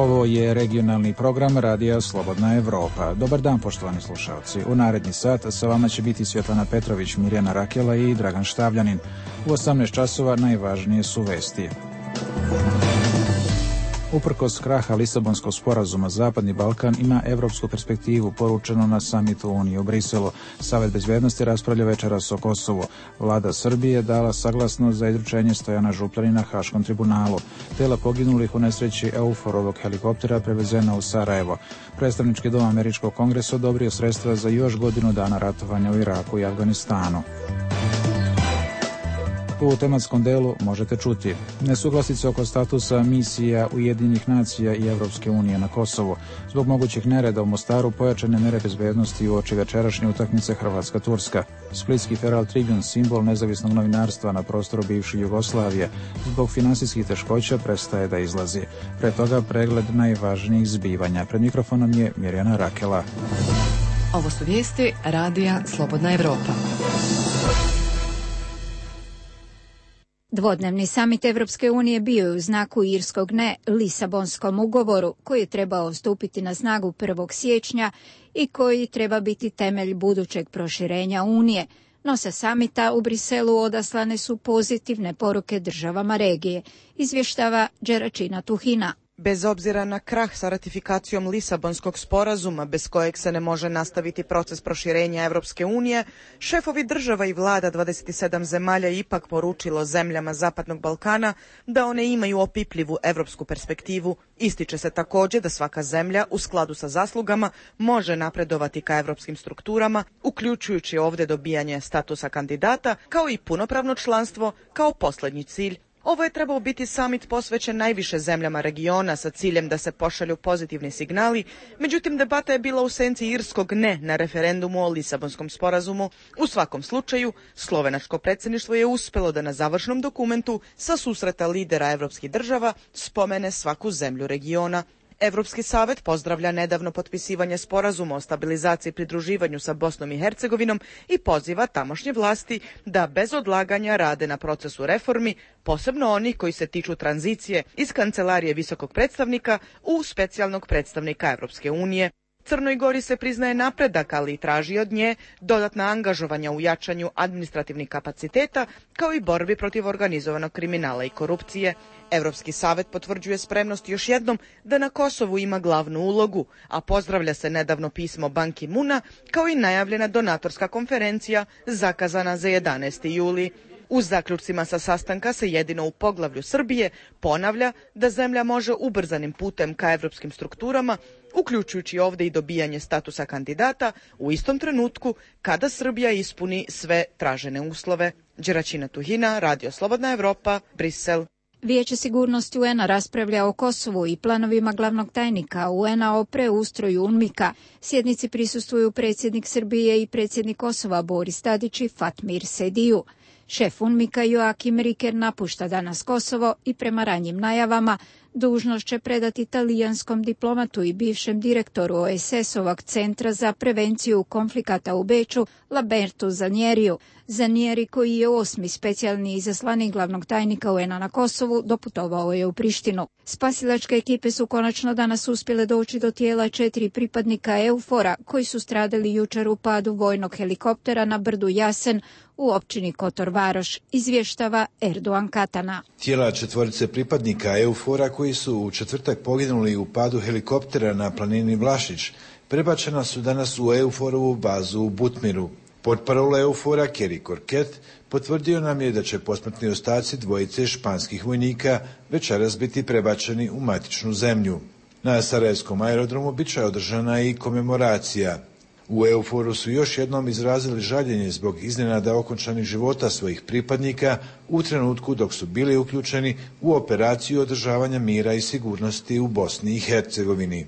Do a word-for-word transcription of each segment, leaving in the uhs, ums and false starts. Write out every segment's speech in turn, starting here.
Ovo je regionalni program Radija Slobodna Evropa. Dobar dan, poštovani slušalci. U naredni sat sa vama će biti Svjetlana Petrović, Mirjana Rakela i Dragan Štavljanin. U osamnaest časova najvažnije su vesti. Uprkos kraha Lisabonskog sporazuma, Zapadni Balkan ima evropsku perspektivu, poručeno na samitu Unije u Briselu. Savet bezbednosti raspravlja večeras o Kosovu. Vlada Srbije dala saglasnost za izručenje Stojana Župljanina Haškom tribunalu. Tela poginulih u nesreći Euforovog helikoptera prevezena u Sarajevo. Predstavnički dom Američkog kongresa odobrio sredstva za još godinu dana ratovanja u Iraku i Afganistanu. U tematskom delu možete čuti nesuglasice oko statusa misija Ujedinjenih nacija i Evropske unije na Kosovu. Zbog mogućih nereda u Mostaru pojačane mere bezbednosti uoči večerašnje utakmice Hrvatska-Turska. Splitski Herald Tribune, simbol nezavisnog novinarstva na prostoru bivše Jugoslavije, zbog finansijskih teškoća prestaje da izlazi. Pre toga pregled najvažnijih zbivanja. Pred mikrofonom je Mirjana Rakela. Ovo su vijesti Radija Slobodna Evropa. Dvodnevni samit Evropske unije bio je u znaku irskog ne Lisabonskom ugovoru, koji je trebao stupiti na snagu prvog siječnja i koji treba biti temelj budućeg proširenja Unije. No sa samita u Briselu odaslane su pozitivne poruke državama regije, izvještava Đeračina Tuhina. Bez obzira na krah sa ratifikacijom Lisabonskog sporazuma, bez kojeg se ne može nastaviti proces proširenja Evropske unije, šefovi država i vlada dvadeset sedam zemalja ipak poručilo zemljama Zapadnog Balkana da one imaju opipljivu evropsku perspektivu. Ističe se također da svaka zemlja u skladu sa zaslugama može napredovati ka evropskim strukturama, uključujući ovdje dobijanje statusa kandidata, kao i punopravno članstvo kao posljednji cilj. Ovo je trebao biti samit posvećen najviše zemljama regiona sa ciljem da se pošalju pozitivni signali, međutim debata je bila u senci irskog ne na referendumu o Lisabonskom sporazumu. U svakom slučaju, slovenačko predsjedništvo je uspjelo da na završnom dokumentu sa susreta lidera evropskih država spomene svaku zemlju regiona. Evropski savet pozdravlja nedavno potpisivanje sporazuma o stabilizaciji i pridruživanju sa Bosnom i Hercegovinom i poziva tamošnje vlasti da bez odlaganja rade na procesu reformi, posebno onih koji se tiču tranzicije iz kancelarije visokog predstavnika u specijalnog predstavnika Evropske unije. Crnoj Gori se priznaje napredak, ali i traži od nje dodatna angažovanja u jačanju administrativnih kapaciteta, kao i borbi protiv organizovanog kriminala i korupcije. Evropski savet potvrđuje spremnost još jednom da na Kosovu ima glavnu ulogu, a pozdravlja se nedavno pismo Ban Ki-muna, kao i najavljena donatorska konferencija zakazana za jedanaesti juli. U zaključcima sa sastanka se jedino u poglavlju Srbije ponavlja da zemlja može ubrzanim putem ka evropskim strukturama, uključujući ovdje i dobijanje statusa kandidata, u istom trenutku kada Srbija ispuni sve tražene uslove. Đeračina Tuhina, Radio Slobodna Evropa, Brisel. Vijeće sigurnosti U N A raspravlja o Kosovu i planovima glavnog tajnika U N A o preustroju UNMIK-a. Sjednici prisustvuju predsjednik Srbije i predsjednik Kosova Boris Tadić i Fatmir Sediju. Šef UNMIK-a Joakim Riker napušta danas Kosovo i prema ranjim najavama dužnost će predati talijanskom diplomatu i bivšem direktoru O S S-ovog centra za prevenciju konflikata u Beču, Lambertu Zanieriju. Zanieri, koji je osmi specijalni izaslanik glavnog tajnika U N A na Kosovu, doputovao je u Prištinu. Spasilačke ekipe su konačno danas uspjele doći do tijela četiri pripadnika Eufora koji su stradali jučer u padu vojnog helikoptera na brdu Jasen u općini Kotor Varoš, izvještava Erdogan Katana. Tijela četvorice pripadnika Eufora koji su u četvrtak poginuli u padu helikoptera na planini Vlašić prebačena su danas u Euforovu bazu u Butmiru. Portparol Eufora Kerry Korket potvrdio nam je da će posmrtni ostaci dvojice španskih vojnika večeras biti prebačeni u matičnu zemlju. Na Sarajevskom aerodromu bit će održana i komemoracija. U Euforu su još jednom izrazili žaljenje zbog iznenada okončanih života svojih pripadnika u trenutku dok su bili uključeni u operaciju održavanja mira i sigurnosti u Bosni i Hercegovini.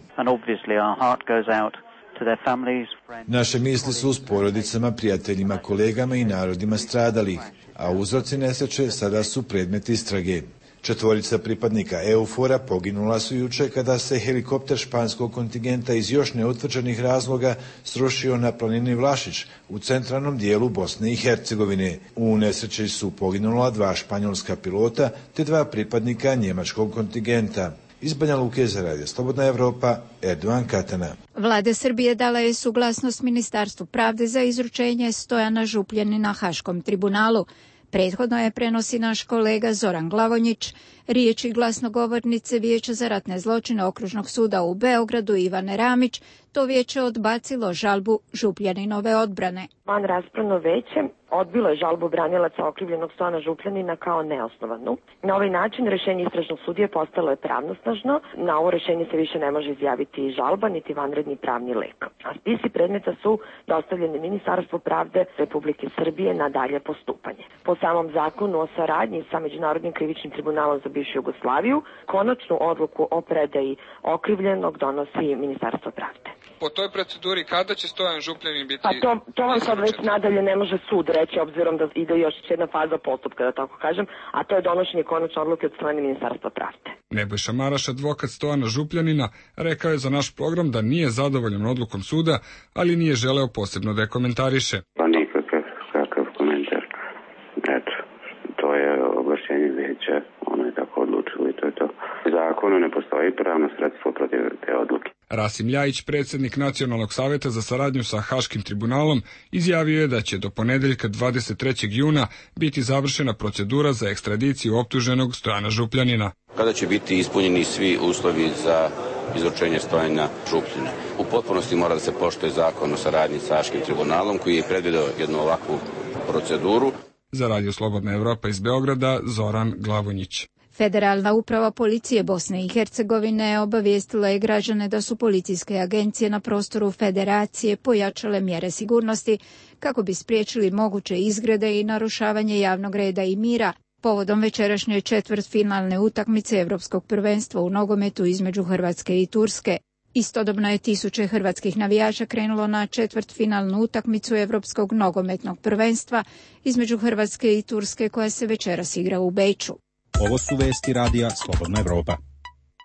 Naše misli su s porodicama, prijateljima, kolegama i narodima stradalih, a uzroci nesreće sada su predmet istrage. Četvorica pripadnika Eufora poginula su juče kada se helikopter španskog kontingenta iz još neutvrđenih razloga srušio na planini Vlašić u centralnom dijelu Bosne i Hercegovine. U nesreći su poginula dva španjolska pilota te dva pripadnika njemačkog kontingenta. Iz Banja Luke za Radio Slobodna Evropa, Erdovan Katana. Vlada Srbije dala je suglasnost Ministarstvu pravde za izručenje Stojana Župljanina Haškom tribunalu. Prethodno je prenosi naš kolega Zoran Glavonjić, riječi glasnogovornice Vijeća za ratne zločine Okružnog suda u Beogradu Ivane Ramić. To vijeće odbacilo žalbu Župljaninove odbrane. Van raspravno veće odbilo je žalbu branilaca okrivljenog Stojana Župljanina kao neosnovanu. Na ovaj način rješenje istražnog sudije postalo je pravnosnažno. Na ovo rješenje se više ne može izjaviti žalba niti vanredni pravni lek. A spisi predmeta su dostavljeni Ministarstvu pravde Republike Srbije na dalje postupanje. Po samom zakonu o saradnji sa Međunarodnim krivičnim tribunalom za bivšu Jugoslaviju, konačnu odluku o predaji okrivljenog donosi Ministarstvo pravde. Po toj proceduri kada će Stojan Župljanin biti... Pa to, to vam sad već nadalje ne može sud reći, obzirom da ide još jedna faza postupka, da tako kažem, a to je donošenje konačne odluke od strane Ministarstva pravde. Nebojša Maraš, advokat Stojana Župljanina, rekao je za naš program da nije zadovoljan odlukom suda, ali nije želeo posebno da je komentariše. Pa nikakav kakav komentar. Eto, to je oglašenje vijeća, ono je tako odlučilo i to je to. U zakonu ne postoji pravno sredstvo protiv te odluke. Rasim Ljajić, predsjednik Nacionalnog savjeta za saradnju sa Haškim tribunalom, izjavio je da će do ponedeljka dvadeset trećeg juna biti završena procedura za ekstradiciju optuženog Stojana Župljanina. Kada će biti ispunjeni svi uslovi za izručenje Stojana Župljana. U potpunosti mora da se poštuje zakon o saradnji sa Haškim tribunalom koji je predvidio jednu ovakvu proceduru. Za Radio Slobodna Evropa iz Beograda, Zoran Glavonjić. Federalna uprava policije Bosne i Hercegovine obavijestila je građane da su policijske agencije na prostoru federacije pojačale mjere sigurnosti kako bi spriječili moguće izgrede i narušavanje javnog reda i mira povodom večerašnje četvrtfinalne utakmice Evropskog prvenstva u nogometu između Hrvatske i Turske. Istodobno je tisuće hrvatskih navijača krenulo na četvrtfinalnu utakmicu Evropskog nogometnog prvenstva između Hrvatske i Turske koja se večeras igra u Beču. Ovo su vesti Radija Slobodna Evropa.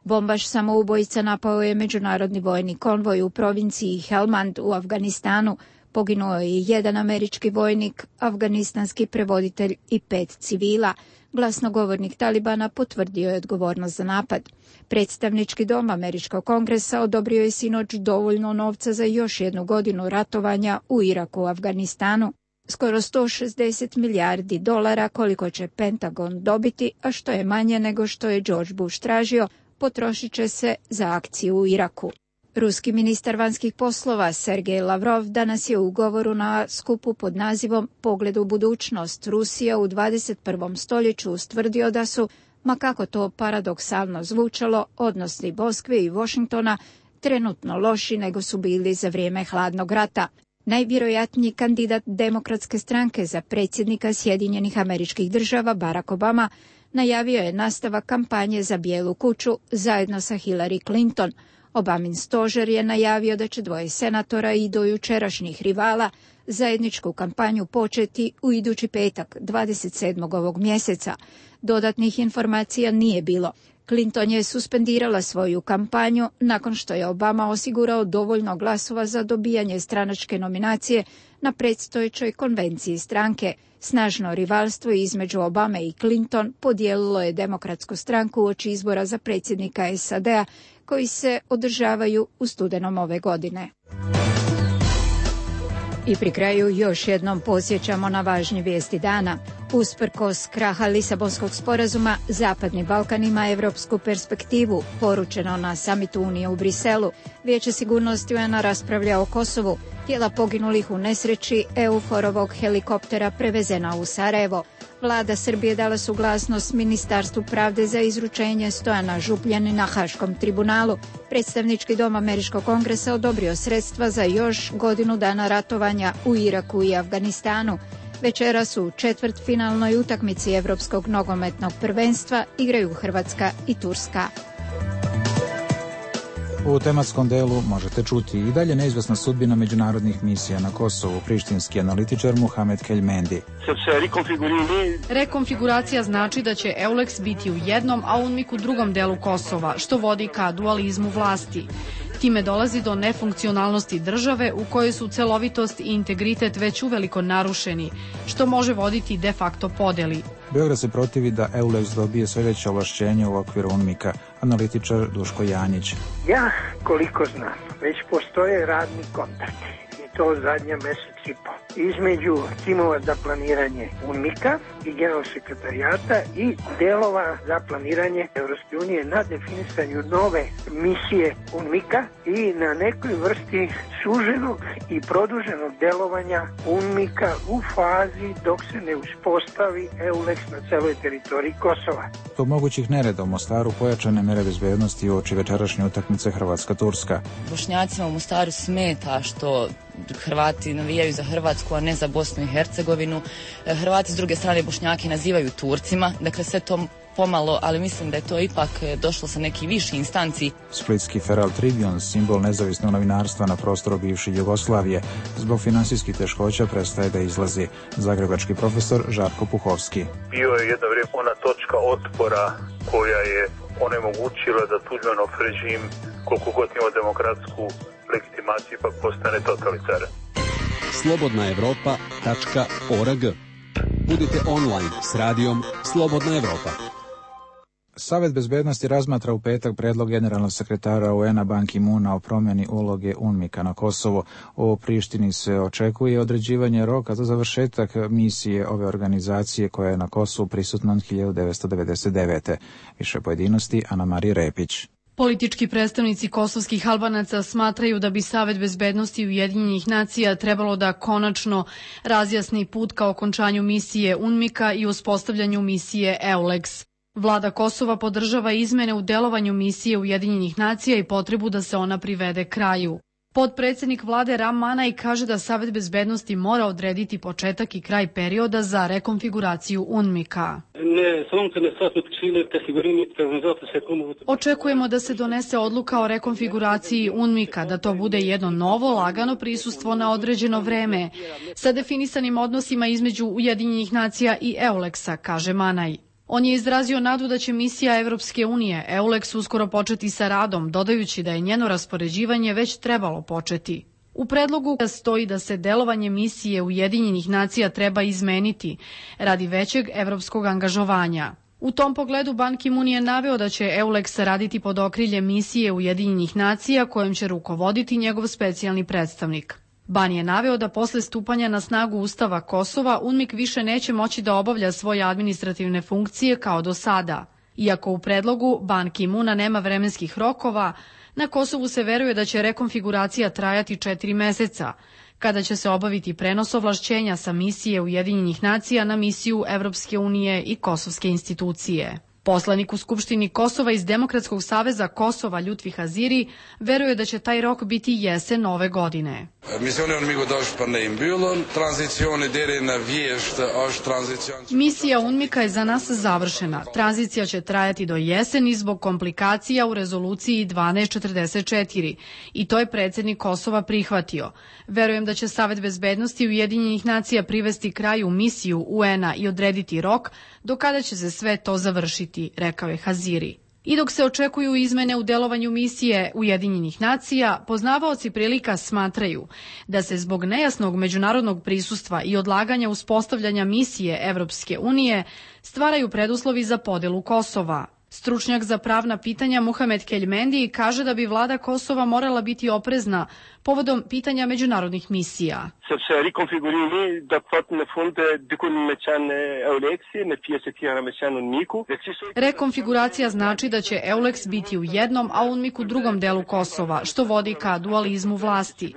Bombaš samoubojica napao je međunarodni vojni konvoj u provinciji Helmand u Afganistanu. Poginuo je jedan američki vojnik, afganistanski prevoditelj i pet civila. Glasnogovornik Talibana potvrdio je odgovornost za napad. Predstavnički dom Američkog kongresa odobrio je sinoć dovoljno novca za još jednu godinu ratovanja u Iraku i Afganistanu. Skoro sto šezdeset milijardi dolara koliko će Pentagon dobiti, a što je manje nego što je George Bush tražio, potrošit će se za akciju u Iraku. Ruski ministar vanjskih poslova Sergej Lavrov danas je u govoru na skupu pod nazivom Pogled u budućnost Rusija u dvadeset prvom stoljeću ustvrdio da su, ma kako to paradoksalno zvučalo, odnosi Moskve i Washingtona trenutno loši nego su bili za vrijeme hladnog rata. Najvjerojatniji kandidat Demokratske stranke za predsjednika Sjedinjenih Američkih Država Barack Obama najavio je nastavak kampanje za Bijelu kuću zajedno sa Hillary Clinton. Obamin stožer je najavio da će dvoje senatora i dojučerašnjih rivala zajedničku kampanju početi u idući petak, dvadeset sedmog ovog mjeseca. Dodatnih informacija nije bilo. Clinton je suspendirala svoju kampanju nakon što je Obama osigurao dovoljno glasova za dobijanje stranačke nominacije na predstojećoj konvenciji stranke. Snažno rivalstvo između Obame i Clinton podijelilo je Demokratsku stranku uoči izbora za predsjednika S A D-a koji se održavaju u studenom ove godine. I pri kraju još jednom podsjećamo na važnje vijesti dana. Usprkos kraha Lisabonskog sporazuma, Zapadni Balkan ima evropsku perspektivu, poručeno na samitu Unije u Briselu. Vijeće sigurnosti U N A raspravlja o Kosovu. Tijela poginulih u nesreći EUFOR-ovog helikoptera prevezena u Sarajevo. Vlada Srbije dala suglasnost Ministarstvu pravde za izručenje Stojana Župljanina Haškom tribunalu. Predstavnički dom Američkog kongresa odobrio sredstva za još godinu dana ratovanja u Iraku i Afganistanu. Večeras u četvrtfinalnoj utakmici Evropskog nogometnog prvenstva igraju Hrvatska i Turska. U tematskom delu možete čuti i dalje neizvesna sudbina međunarodnih misija na Kosovu. Prištinski analitičar Muhamed Keljmendi. Rekonfiguracija znači da će EULEX biti u jednom, a UNMIK u drugom delu Kosova, što vodi ka dualizmu vlasti. Time dolazi do nefunkcionalnosti države u kojoj su celovitost i integritet već uveliko narušeni, što može voditi de facto podeli. Beograd se protivi da EULEX dobije sve veće ovlašćenje u okviru UNMIK-a, analitičar Duško Janjić. Ja, koliko znam, već postoje radni kontakti i to zadnja mesec i po između timova za planiranje UNMIK-a i generalnog sekretarijata i delova za planiranje Evropske unije na definisanju nove misije UNMIK-a i na nekoj vrsti suženog i produženog delovanja UNMIK-a u fazi dok se ne uspostavi EULEX na celoj teritoriji Kosova. Zbog mogućih nereda u Mostaru pojačane mere bezbednosti uoči večerašnje utakmice Hrvatska-Turska. Bošnjacima u Mostaru smeta što Hrvati navijaju za Hrvatsku, a ne za Bosnu i Hercegovinu. Hrvati s druge strane Bošnjake nazivaju Turcima, dakle sve to pomalo, ali mislim da je to ipak došlo sa neki viši instanci. Splitski Feral Tribune, simbol nezavisnog novinarstva na prostoru bivše Jugoslavije, zbog finansijskih teškoća prestaje da izlazi. Zagrebački profesor Žarko Puhovski. Bio je jedno vrijeme ona točka otpora koja je onemogućila da Tuđmanov režim, koliko god ima demokratsku legitimaciju, ipak postane totalitaran. slobodna evropa tačka org. Budite online s radijom Slobodna Evropa. Savet bezbednosti razmatra u petak predlog generalnog sekretara U N-a Ban Ki-moona o promjeni uloge UNMIK-a na Kosovo. O Prištini se očekuje određivanje roka za završetak misije ove organizacije koja je na Kosovu prisutna od hiljadu devetsto devedeset devete. Više pojedinosti Ana Marija Repić. Politički predstavnici kosovskih Albanaca smatraju da bi Savet bezbednosti Ujedinjenih nacija trebalo da konačno razjasni put ka okončanju misije UNMIK-a i uspostavljanju misije EULEX. Vlada Kosova podržava izmene u delovanju misije Ujedinjenih nacija i potrebu da se ona privede kraju. Potpredsednik vlade Ram Manaj kaže da Savet bezbednosti mora odrediti početak i kraj perioda za rekonfiguraciju UNMIK-a. Očekujemo da se donese odluka o rekonfiguraciji UNMIK-a, da to bude jedno novo, lagano prisustvo na određeno vreme, sa definisanim odnosima između Ujedinjenih nacija i EULEX-a, kaže Manaj. On je izrazio nadu da će misija Evropske unije EULEX uskoro početi sa radom, dodajući da je njeno raspoređivanje već trebalo početi. U predlogu stoji da se delovanje misije Ujedinjenih nacija treba izmeniti radi većeg evropskog angažovanja. U tom pogledu Ban Ki-moon je naveo da će EULEX raditi pod okriljem misije Ujedinjenih nacija kojom će rukovoditi njegov specijalni predstavnik. Ban je naveo da posle stupanja na snagu Ustava Kosova UNMIK više neće moći da obavlja svoje administrativne funkcije kao do sada. Iako u predlogu Ban Ki-moona nema vremenskih rokova, na Kosovu se veruje da će rekonfiguracija trajati četiri meseca, kada će se obaviti prenos ovlašćenja sa misije Ujedinjenih nacija na misiju Evropske unije i kosovske institucije. Poslanik u Skupštini Kosova iz Demokratskog saveza Kosova Ljutvi Haziri veruje da će taj rok biti jesen ove godine. Misija UNMIK-a je za nas završena. Tranzicija će trajati do jeseni zbog komplikacija u rezoluciji dvanaest četrdeset četiri i to je predsjednik Kosova prihvatio. Verujem da će Savet bezbednosti Ujedinjenih nacija privesti kraju misiju U N-a i odrediti rok do kada će se sve to završiti, rekao je Haziri. I dok se očekuju izmene u delovanju misije Ujedinjenih nacija, poznavaoci prilika smatraju da se zbog nejasnog međunarodnog prisustva i odlaganja uspostavljanja misije Evropske unije stvaraju preduslovi za podelu Kosova. Stručnjak za pravna pitanja Muhamed Keljmendi kaže da bi vlada Kosova morala biti oprezna povodom pitanja međunarodnih misija. Rekonfiguracija znači da će EULEX biti u jednom, a UNMIK u drugom delu Kosova, što vodi ka dualizmu vlasti.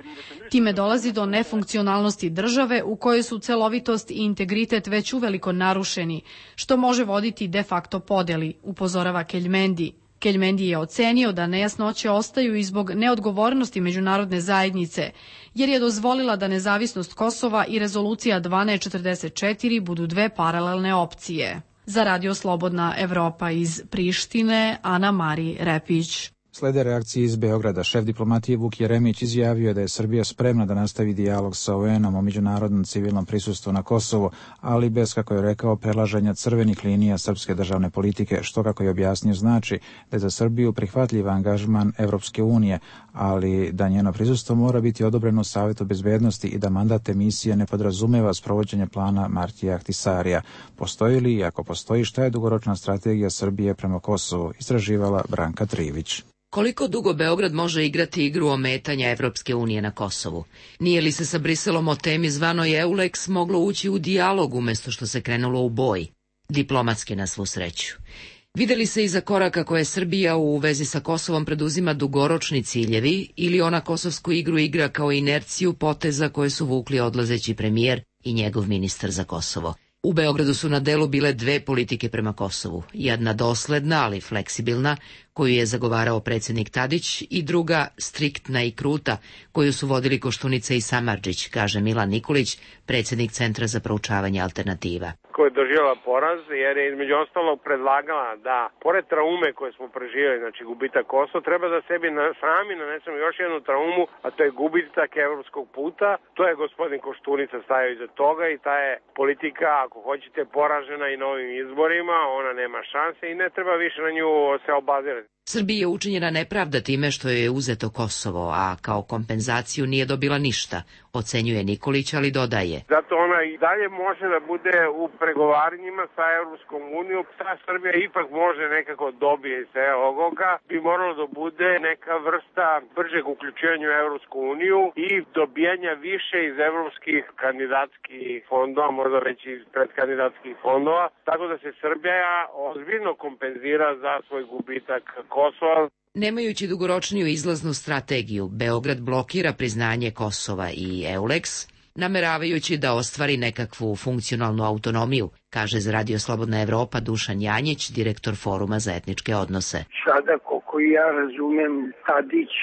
Time dolazi do nefunkcionalnosti države u kojoj su celovitost i integritet već uveliko narušeni, što može voditi de facto podeli, upozorava Keljmendi. Keljmendi je ocenio da nejasnoće ostaju i zbog neodgovornosti međunarodne zajednice, jer je dozvolila da nezavisnost Kosova i rezolucija dvanaest četrdeset četiri budu dve paralelne opcije. Za Radio Slobodna Evropa iz Prištine, Ana Marija Repić. Slede reakcije iz Beograda. Šef diplomatije Vuk Jeremić izjavio je da je Srbija spremna da nastavi dijalog sa O E N-om o međunarodnom civilnom prisustvu na Kosovo, ali bez, kako je rekao, prelaženja crvenih linija srpske državne politike, što, kako je objasnio, znači da je za Srbiju prihvatljiv angažman Evropske unije, ali da njeno prisustvo mora biti odobreno u Savetu bezbednosti i da mandat emisije ne podrazumeva sprovođenje plana Martija Ahtisarija. Postoji li i ako postoji, šta je dugoročna strategija Srbije prema Kosovu, istraživala Branka Trivić. Koliko dugo Beograd može igrati igru ometanja Evropske unije na Kosovu? Nije li se sa Briselom o temi zvanoj EULEX moglo ući u dijalog umjesto što se krenulo u boj? Diplomatski, na svu sreću. Videli se iza koraka koje Srbija u vezi sa Kosovom preduzima dugoročni ciljevi ili ona kosovsku igru igra kao inerciju poteza koje su vukli odlazeći premijer i njegov ministar za Kosovo? U Beogradu su na delu bile dve politike prema Kosovu, jedna dosledna, ali fleksibilna, koju je zagovarao predsjednik Tadić, i druga striktna i kruta, koju su vodili Koštunica i Samardžić, kaže Milan Nikolić, predsjednik Centra za proučavanje alternativa. Koja je doživjela poraz, jer je između ostalog predlagala da, pored traume koje smo preživjeli, znači gubitak Kosova, treba da sebi na, sami nanesemo još jednu traumu, a to je gubitak evropskog puta. To je gospodin Koštunica stavio iza toga i ta je politika, ako hoćete, poražena i novim izborima, ona nema šanse i ne treba više na nju se obazirati. Srbiji je učinjena nepravda time što je uzeto Kosovo, a kao kompenzaciju nije dobila ništa, ocenjuje Nikolić, ali dodaje. Zato ona i dalje može da bude u pregovaranjima sa Evropskom unijom. Ta Srbija ipak može nekako dobije iz ovoga. Bi moralo da bude neka vrsta bržeg uključivanja u Evropsku uniju i dobijanja više iz evropskih kandidatskih fondova, možda već iz predkandidatskih fondova, tako da se Srbija ozbiljno kompenzira za svoj gubitak Kosova. Nemajući dugoročniju izlaznu strategiju, Beograd blokira priznanje Kosova i EULEX, nameravajući da ostvari nekakvu funkcionalnu autonomiju, kaže za Radio Slobodna Evropa Dušan Janjić, direktor Foruma za etničke odnose. Sada, koliko ja razumem, Tadić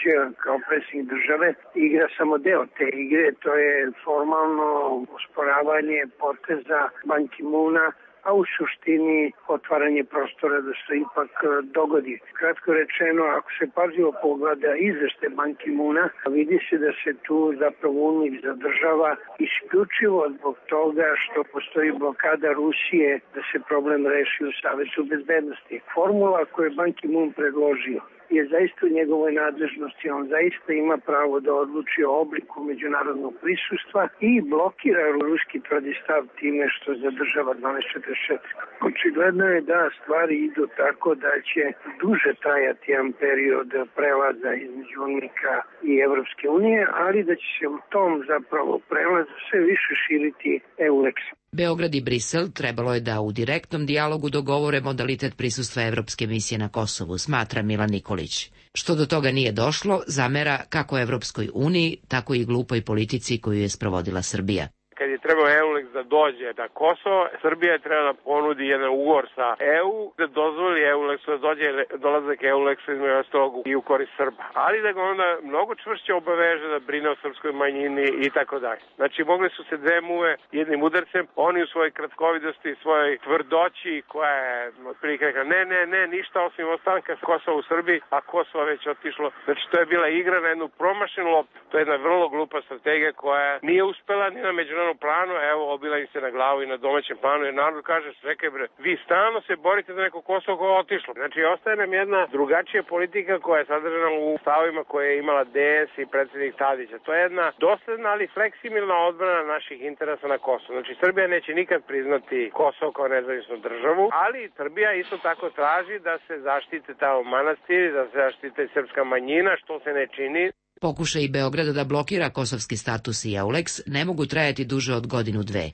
kao predsjednik države igra samo deo te igre, to je formalno usporavanje poteza Ban Ki-moona, a u suštini otvaranje prostora da se ipak dogodi. Kratko rečeno, ako se pažljivo pogleda izveštaj Ban Ki-moona, vidi se da se tu zapravo UNMIK zadržava isključivo zbog toga što postoji blokada Rusije da se problem reši u Savetu bezbednosti. Formula koju je Ban Ki-moon predložio je zaista u njegovoj nadležnosti. On zaista ima pravo da odluči o obliku međunarodnog prisustva i blokira ruski tvrdi stav time što zadržava dvanaest četrdeset četiri. Očigledno je da stvari idu tako da će duže trajati jedan period prelaza između UNMIK-a i Evropske unije, ali da će se u tom zapravo prelazu sve više širiti EULEX. Beograd i Brisel trebalo je da u direktnom dijalogu dogovore modalitet prisustva Evropske misije na Kosovu, smatra Milan Nikolić. Što do toga nije došlo, zamera kako Evropskoj uniji, tako i glupoj politici koju je sprovodila Srbija. Kad je trebao EULEX da dođe na Kosovo, Srbija je trebala da ponudi jedan ugovor sa E U, da dozvoli EULEX da dođe dolazak EULEX-a između ostalog i u korist Srba. Ali da ga onda mnogo čvršće obaveže da brine o srpskoj manjini i tako dalje. Znači, mogli su se dve muve jednim udarcem, oni u svojoj kratkovidosti, svojoj tvrdoći koja je otprilike rekla ne, ne, ne, ništa osim ostanka Kosova u Srbiji, a Kosovo već otišlo. Znači, to je bila igra na jednu promašenu loptu. To je jedna vrlo glupa strategija koja nije uspela ni na međunarodnom planu, evo, obila im se na glavu i na domaćem planu, jer narod kaže, čekaj bre, vi stalno se borite za neko Kosovo koje je otišlo. Znači, ostaje nam jedna drugačija politika koja je sadržana u stavima koje je imala D S i predsjednik Tadića. To je jedna dosledna, ali fleksibilna odbrana naših interesa na Kosovo. Znači, Srbija neće nikad priznati Kosovo kao nezavisnu državu, ali Srbija isto tako traži da se zaštite tamo manastiri, da se zaštite srpska manjina, što se ne čini. Pokušaj Beograda da blokira kosovski status i EULEX ne mogu trajati duže od godinu dve.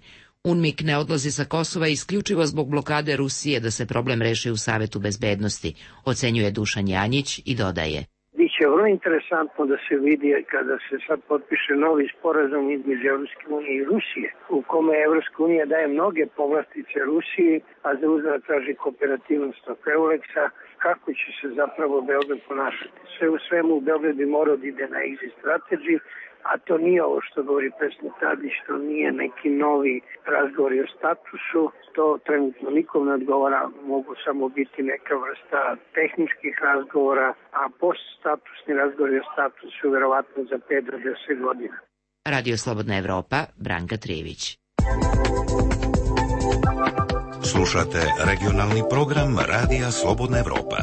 UNMIK ne odlazi sa Kosova isključivo zbog blokade Rusije da se problem reši u Savetu bezbednosti, ocenjuje Dušan Janjić i dodaje. Biće vrlo interesantno da se vidi kada se sad potpiše novi sporazum između Evropske unije i Rusije, u kome Evropska unija daje mnoge povlastice Rusiji, a za uzvrat traži kooperativnost oko EULEX-a, kako će se zapravo Beograd ponašati. Sve u svemu Beograd bi morao da ide na exit strategy, a to nije ovo što govori predsjednik Tadić, to nije neki novi razgovori o statusu, to trenutno nikom ne odgovara, mogu samo biti neka vrsta tehničkih razgovora, a poststatusni razgovori o statusu vjerovatno za pet do deset godina. Radio Slobodna Evropa, Branka Trijević. Slušate regionalni program Radija Slobodna Evropa.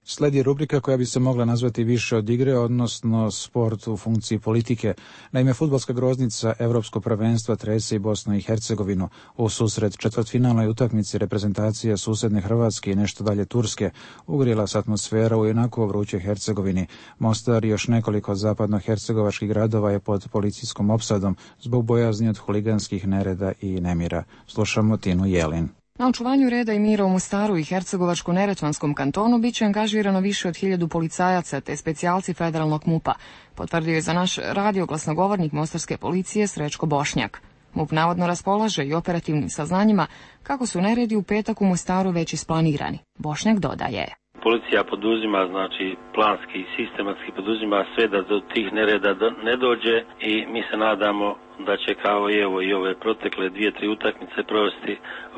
Sledi rubrika koja bi se mogla nazvati više od igre, odnosno sport u funkciji politike. Naime, fudbalska groznica Evropskog prvenstva trese i Bosnu i Hercegovinu. U susret četvrtfinalnoj utakmici reprezentacije susedne Hrvatske i nešto dalje Turske ugrila se atmosfera u jednako vrućoj Hercegovini. Mostar i još nekoliko zapadno-hercegovačkih gradova je pod policijskom opsadom zbog bojazni od huliganskih nereda i nemira. Slušamo Tinu Jelin. Na očuvanju reda i mira u Mostaru i Hercegovačko-Neretvanskom kantonu biće angažirano više od hiljadu policajaca te specijalci federalnog MUP-a, potvrdio je za naš radio glasnogovornik mostarske policije Srećko Bošnjak. MUP navodno raspolaže i operativnim saznanjima kako su neredi u petak u Mostaru već isplanirani. Bošnjak dodaje. Policija poduzima, znači planski i sistematski poduzima sve da do tih nereda ne dođe i mi se nadamo da će kao i evo i ove protekle dvije, tri utakmice provesti,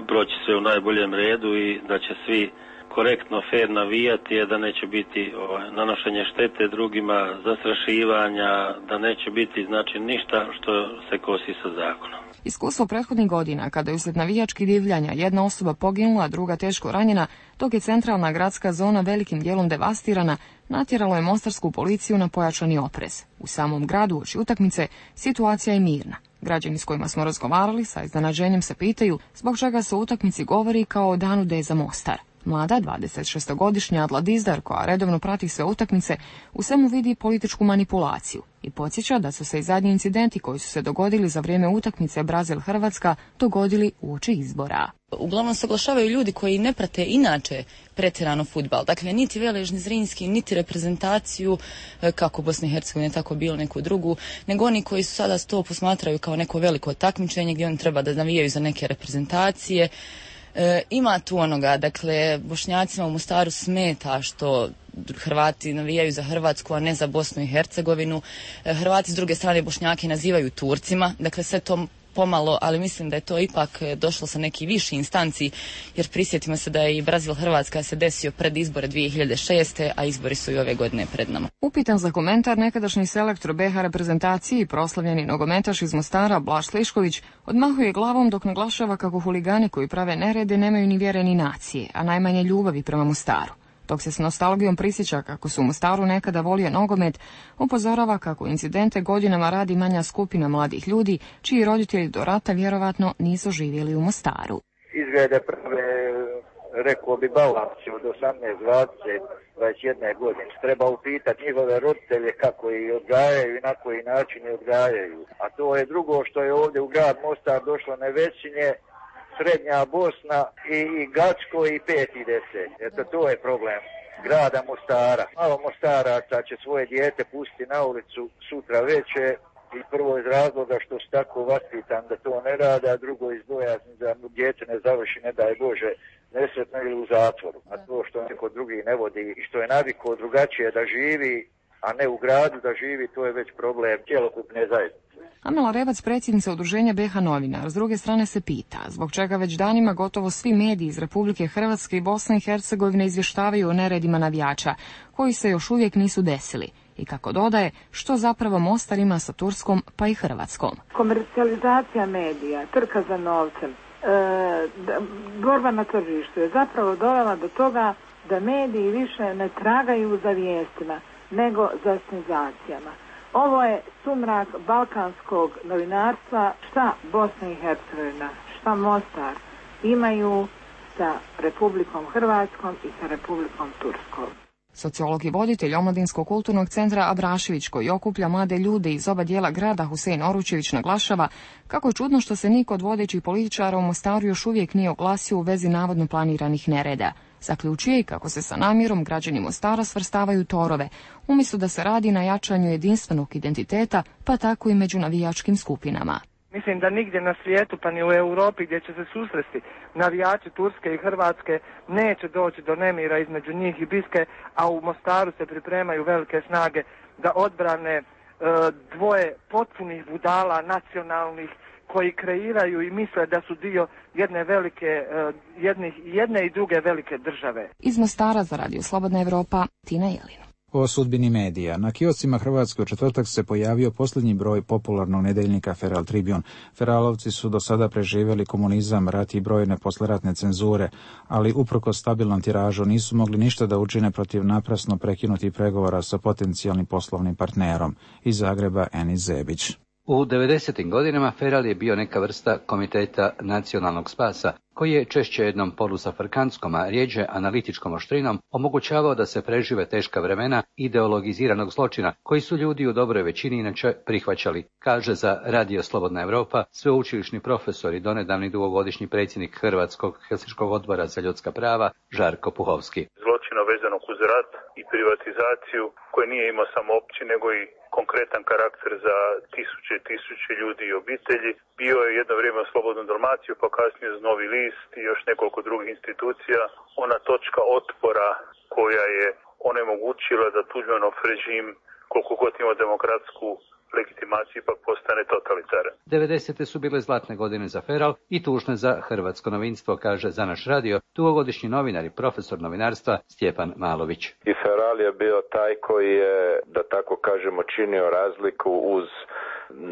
proći sve u najboljem redu i da će svi korektno, fair navijati, da neće biti ovaj, nanošenje štete drugima, zastrašivanja, da neće biti znači ništa što se kosi sa zakonom. Iskustvo prethodnih godina, kada je uslijed navijačkih divljanja jedna osoba poginula, druga teško ranjena, dok je centralna gradska zona velikim dijelom devastirana, natjeralo je mostarsku policiju na pojačani oprez. U samom gradu uoči utakmice situacija je mirna. Građani s kojima smo razgovarali sa iznenađenjem se pitaju zbog čega se u utakmici govori kao o danu D za Mostar. Mlada, dvadesetšestogodišnja Adla Dizdar, koja redovno prati sve utakmice, u svemu vidi političku manipulaciju i podsjeća da su se i zadnji incidenti koji su se dogodili za vrijeme utakmice Brazil-Hrvatska dogodili uoči izbora. Uglavnom se oglašavaju ljudi koji ne prate inače pretjerano fudbal. Dakle, niti Veležni Zrinski, niti reprezentaciju, kako Bosne i Hercegovine, tako bilo neku drugu, nego oni koji su sada to posmatraju kao neko veliko takmičenje gdje oni treba da navijaju za neke reprezentacije. E, ima tu onoga, dakle, Bošnjacima u Mostaru smeta što Hrvati navijaju za Hrvatsku, a ne za Bosnu i Hercegovinu. E, Hrvati s druge strane Bošnjake nazivaju Turcima, dakle sve to pomalo, ali mislim da je to ipak došlo sa neki viši instanci, jer prisjetimo se da je i Brazil-Hrvatska se desio pred izbore dvije hiljade šeste. a izbori su i ove godine pred nama. Upitan za komentar nekadašnji selektor B iH reprezentaciji i proslavljeni nogometaš iz Mostara Blaž Slišković odmahuje glavom dok naglašava kako huligani koji prave nerede nemaju ni vjere ni nacije, a najmanje ljubavi prema Mostaru. Dok se s nostalgijom prisjeća kako su u Mostaru nekada volio nogomet, upozorava kako incidente godinama radi manja skupina mladih ljudi, čiji roditelji do rata vjerovatno nisu živjeli u Mostaru. Izglede prve, rekao bi balanci od osamnaest, dvadeset, dvadeset jedne godine. Treba upitati njihove roditelje kako ih odgajaju i na koji način ih odgajaju. A to je drugo što je ovdje u grad Mostar došlo Nevesinje, Srednja Bosna i, i Gacko i pet i deset. Eto, to je problem grada Mostara. Malo Mostaraca će svoje dijete pustiti na ulicu sutra veće i prvo iz razloga što su tako vaspitan da to ne rade, a drugo iz bojazni da dijete ne završi, ne daj Bože, nesretno ili u zatvoru. A to što neko drugi ne vodi i što je navikao drugačije da živi, a ne u gradu da živi, to je već problem cjelokupne zajednice. Amela Revac, predsjednica udruženja B iH novinar, s druge strane se pita zbog čega već danima gotovo svi mediji iz Republike Hrvatske i Bosne i Hercegovine izvještavaju o neredima navijača, koji se još uvijek nisu desili. I kako dodaje, što zapravo Mostar ima sa Turskom pa i Hrvatskom. Komercijalizacija medija, trka za novcem, e, borba na tržištu je zapravo dovela do toga da mediji više ne tragaju za vijestima, nego za senzacijama. Ovo je sumrak balkanskog novinarstva, šta Bosna i Hercegovina, šta Mostar imaju sa Republikom Hrvatskom i sa Republikom Turskom. Sociolog i voditelj Omladinskog kulturnog centra Abrašević, koji okuplja mlade ljude iz oba dijela grada, Husein Oručević, naglašava kako je čudno što se niko od vodećih političara u Mostaru još uvijek nije oglasio u vezi navodno planiranih nereda. Zaključuje i kako se sa namjerom građani Mostara svrstavaju torove, umjesto da se radi na jačanju jedinstvenog identiteta, pa tako i među navijačkim skupinama. Mislim da nigdje na svijetu, pa ni u Europi gdje će se susresti navijači Turske i Hrvatske, neće doći do nemira između njih i Biske, a u Mostaru se pripremaju velike snage da odbrane dvoje potpunih budala nacionalnih koji kreiraju i misle da su dio jedne velike, jedne, jedne i druge velike države. Iz Mostara za Radio Slobodna Evropa, Tina Jelina. O sudbini medija. Na kioscima Hrvatske u četvrtak se pojavio posljednji broj popularnog nedeljnika Feral Tribune. Feralovci su do sada preživjeli komunizam, rat i brojne posleratne cenzure, ali uprkos stabilnom tiražu nisu mogli ništa da učine protiv naprasno prekinutih pregovora sa potencijalnim poslovnim partnerom. Iz Zagreba Enis Zebić. U devedesetim godinama Feral je bio neka vrsta komiteta nacionalnog spasa, koji je češće jednom polusafrkanskom, a rijeđe analitičkom oštrinom omogućavao da se prežive teška vremena ideologiziranog zločina, koji su ljudi u dobroj većini inače prihvaćali, kaže za Radio Slobodna Evropa sveučilišni profesor i donedavni dugogodišnji predsjednik Hrvatskog Helsinškog odbora za ljudska prava Žarko Puhovski. Zločina vezanog uz rat i privatizaciju, koji nije imao samo opći, nego i konkretan karakter za tisuće i tisuće ljudi i obitelji. Bio je jedno vrijeme Slobodnu Dalmaciju, pa kasnije uz Novi list i još nekoliko drugih institucija. Ona točka otpora koja je onemogućila da Tuđmanov režim, koliko god ima demokratsku legitimaciju, ipak postane totalitaran. devedesete su bile zlatne godine za Feral i tužne za hrvatsko novinstvo, kaže za naš radio dugogodišnji novinar i profesor novinarstva Stjepan Malović. I Feral je bio taj koji je, da tako kažemo, činio razliku uz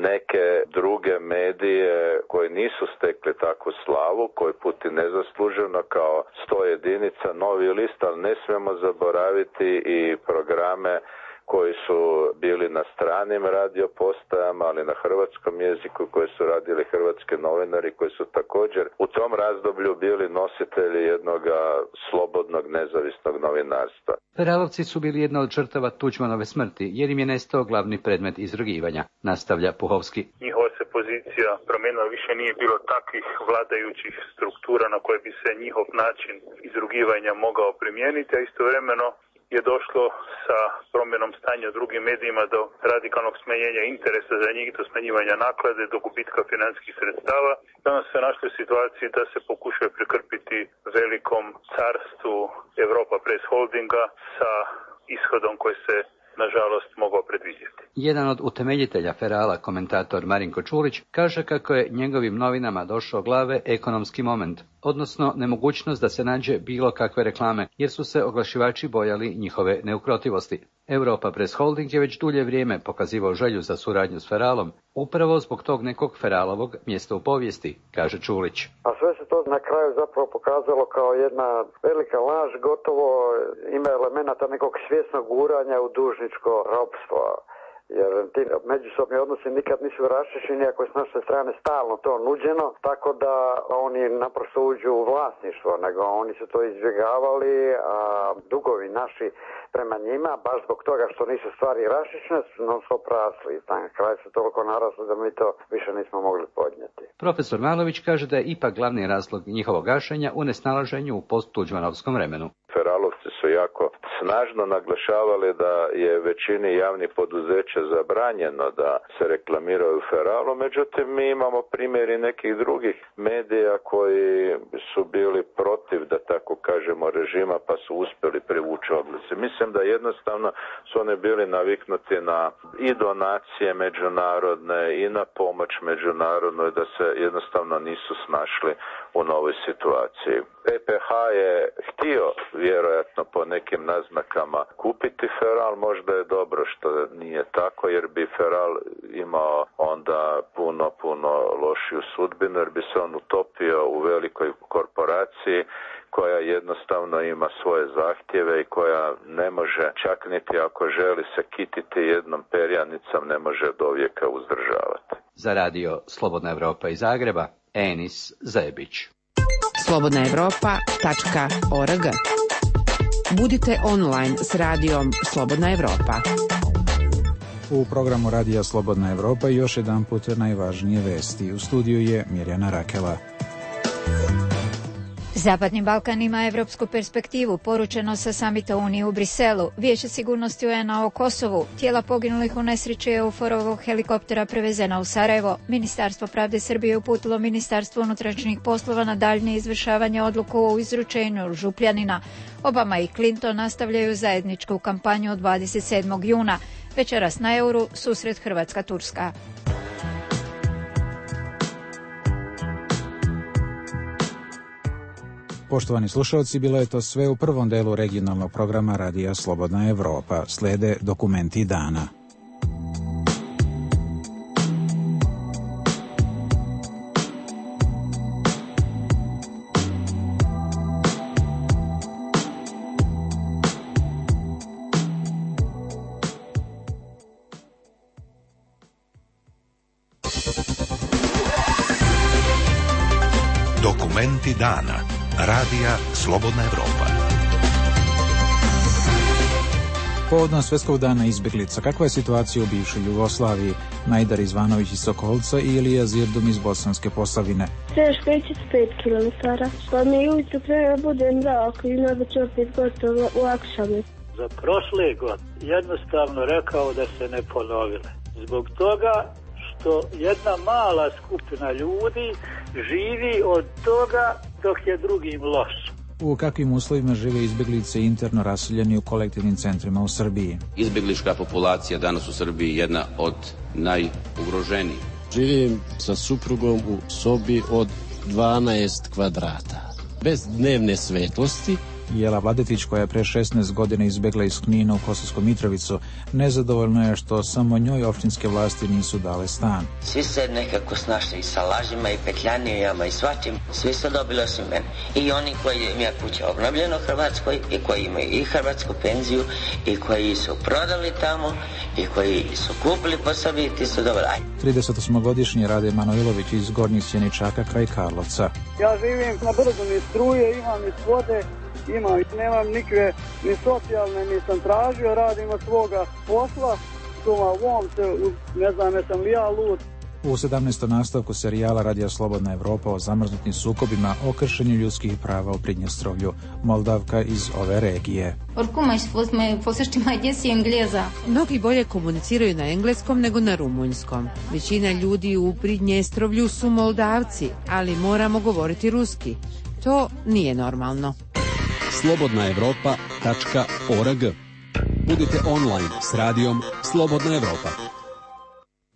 neke druge medije koji nisu stekli takvu slavu, koji puti nezasluženo kao sto jedinica, Novi list, ali ne smijemo zaboraviti i programe koji su bili na stranim radiopostajama, ali na hrvatskom jeziku, koji su radili hrvatski novinari, koji su također u tom razdoblju bili nositelji jednog slobodnog, nezavisnog novinarstva. Feralovci su bili jedna od žrtava Tuđmanove smrti, jer im je nestao glavni predmet izrugivanja, nastavlja Puhovski. Njihova se pozicija promijenila, više nije bilo takvih vladajućih struktura na koje bi se njihov način izrugivanja mogao primijeniti, a istovremeno je došlo sa promjenom stanja u drugim medijima do radikalnog smanjenja interesa za njih, do smanjivanja naklade, do gubitka financijskih sredstava. Danas se našli u situaciji da se pokušaju prekrpiti velikom carstvu Europa Press Holdinga sa ishodom koji se nažalost mogao predvidjeti. Jedan od utemeljitelja Ferala, komentator Marinko Čulić, kaže kako je njegovim novinama došao glave ekonomski moment, odnosno nemogućnost da se nađe bilo kakve reklame, jer su se oglašivači bojali njihove neukrotivosti. Europa Press Holding je već dulje vrijeme pokazivao želju za suradnju s Feralom, upravo zbog tog nekog Feralovog mjesta u povijesti, kaže Čulić. A sve se to na kraju zapravo pokazalo kao jedna velika laž, gotovo ima elemenata nekog svjesnog guranja u dužničko ropstvo. Jer ti međusobni odnosi nikad nisu raščišćeni, ako je s naše strane stalno to nuđeno, tako da oni naprosto uđu u vlasništvo, nego oni su to izbjegavali, a dugovi naši prema njima, baš zbog toga što nisu stvari raščišćene, su non stop rasli. Na kraju su toliko narasli da mi to više nismo mogli podnijeti. Profesor Malović kaže da je ipak glavni razlog njihovog gašenja u nesnalaženju u post-tuđmanovskom vremenu. Feralovci su jako snažno naglašavali da je većini javnih poduzeća zabranjeno da se reklamiraju Feralu, međutim mi imamo primjeri nekih drugih medija koji su bili protiv, da tako kažemo, režima, pa su uspjeli privući oglase. Mislim da jednostavno su oni bili naviknuti na i donacije međunarodne i na pomoć međunarodnoj, da se jednostavno nisu snašli u novoj situaciji. E P H je htio vjerojatno po nekim naznakama kupiti Feral, možda je dobro što nije tako, jer bi Feral imao onda puno, puno lošiju sudbinu, jer bi se on utopio u velikoj korporaciji koja jednostavno ima svoje zahtjeve i koja ne može, čak niti ako želi se kititi jednom perjanicom, ne može do vijeka uzdržavati. Za radio Slobodna Evropa iz Zagreba, Enis Zebić. slobodna evropa tačka org. Budite online s radijom Slobodna Evropa. U programu Radija Slobodna Evropa još jedan put najvažnije vesti. U studiju je Mirjana Rakela. Zapadni Balkan ima evropsku perspektivu, poručeno sa samita Unije u Briselu. Vijeće sigurnosti U N A o Kosovu. Tijela poginulih u nesreći EUFOR-ovog helikoptera prevezena u Sarajevo. Ministarstvo pravde Srbije uputilo Ministarstvo unutrašnjih poslova na daljnje izvršavanje odluku o izručenju Župljanina. Obama i Clinton nastavljaju zajedničku kampanju od dvadeset sedmog juna. Večeras na Euru susret Hrvatska-Turska. Poštovani slušalci, bilo je to sve u prvom delu regionalnog programa Radija Slobodna Evropa. Slede dokumenti dana. Dokumenti dana. Radija Slobodna Evropa. Povodom Svjetskog dana izbjeglica, kakva je situacija u bivšoj Jugoslaviji? Najdar Izvanović iz Sokolca i Ilija Zirdum iz Bosanske Posavine. Teško ići pet kilometara, pa mi ujutro prema bude mrak i onda će opet gotovo u Akšami. Za prošle godine jednostavno rekao da se ne ponovile. Zbog toga što jedna mala skupina ljudi živi od toga dok je drugim loš. U kakvim uslovima žive izbjeglice interno raseljeni u kolektivnim centrima u Srbiji? Izbjeglička populacija danas u Srbiji je jedna od najugroženijih. Živim sa suprugom u sobi od dvanaest kvadrata, bez dnevne svetlosti. Jela Vladetić, koja je pre šesnaest godina izbjegla iz Knina u Kosovsku Mitrovicu, nezadovoljno je što samo njoj opštinske vlasti nisu dale stan. Svi se nekako snašli i sa lažima i petljanijama i svačim, svi su dobili osim mene. I oni koji imaju kuća obnovljeno u Hrvatskoj i koji imaju i hrvatsku penziju i koji su prodali tamo i koji su kupili po sebi, ti su dobili. tridesetosmogodišnji Rade Manojlović iz Gornjih Sjeničaka kraj Karlovca. Ja živim na brdu ni struje, imam ni vode. Ima, nemam nikve ni socijalne, ni sam tražio, radim od svoga posla, doma u se, ne znam, jesam li ja lud. U sedamnaestom nastavku serijala Radija Slobodna Evropa o zamrznutim sukobima o kršenju ljudskih prava u Pridnjestrovlju, Moldavka iz ove regije. Mnogi bolje komuniciraju na engleskom nego na rumunjskom. Većina ljudi u Pridnjestrovlju su Moldavci, ali moramo govoriti ruski. To nije normalno. slobodna evropa tačka org. Budite online s radijom Slobodna Evropa.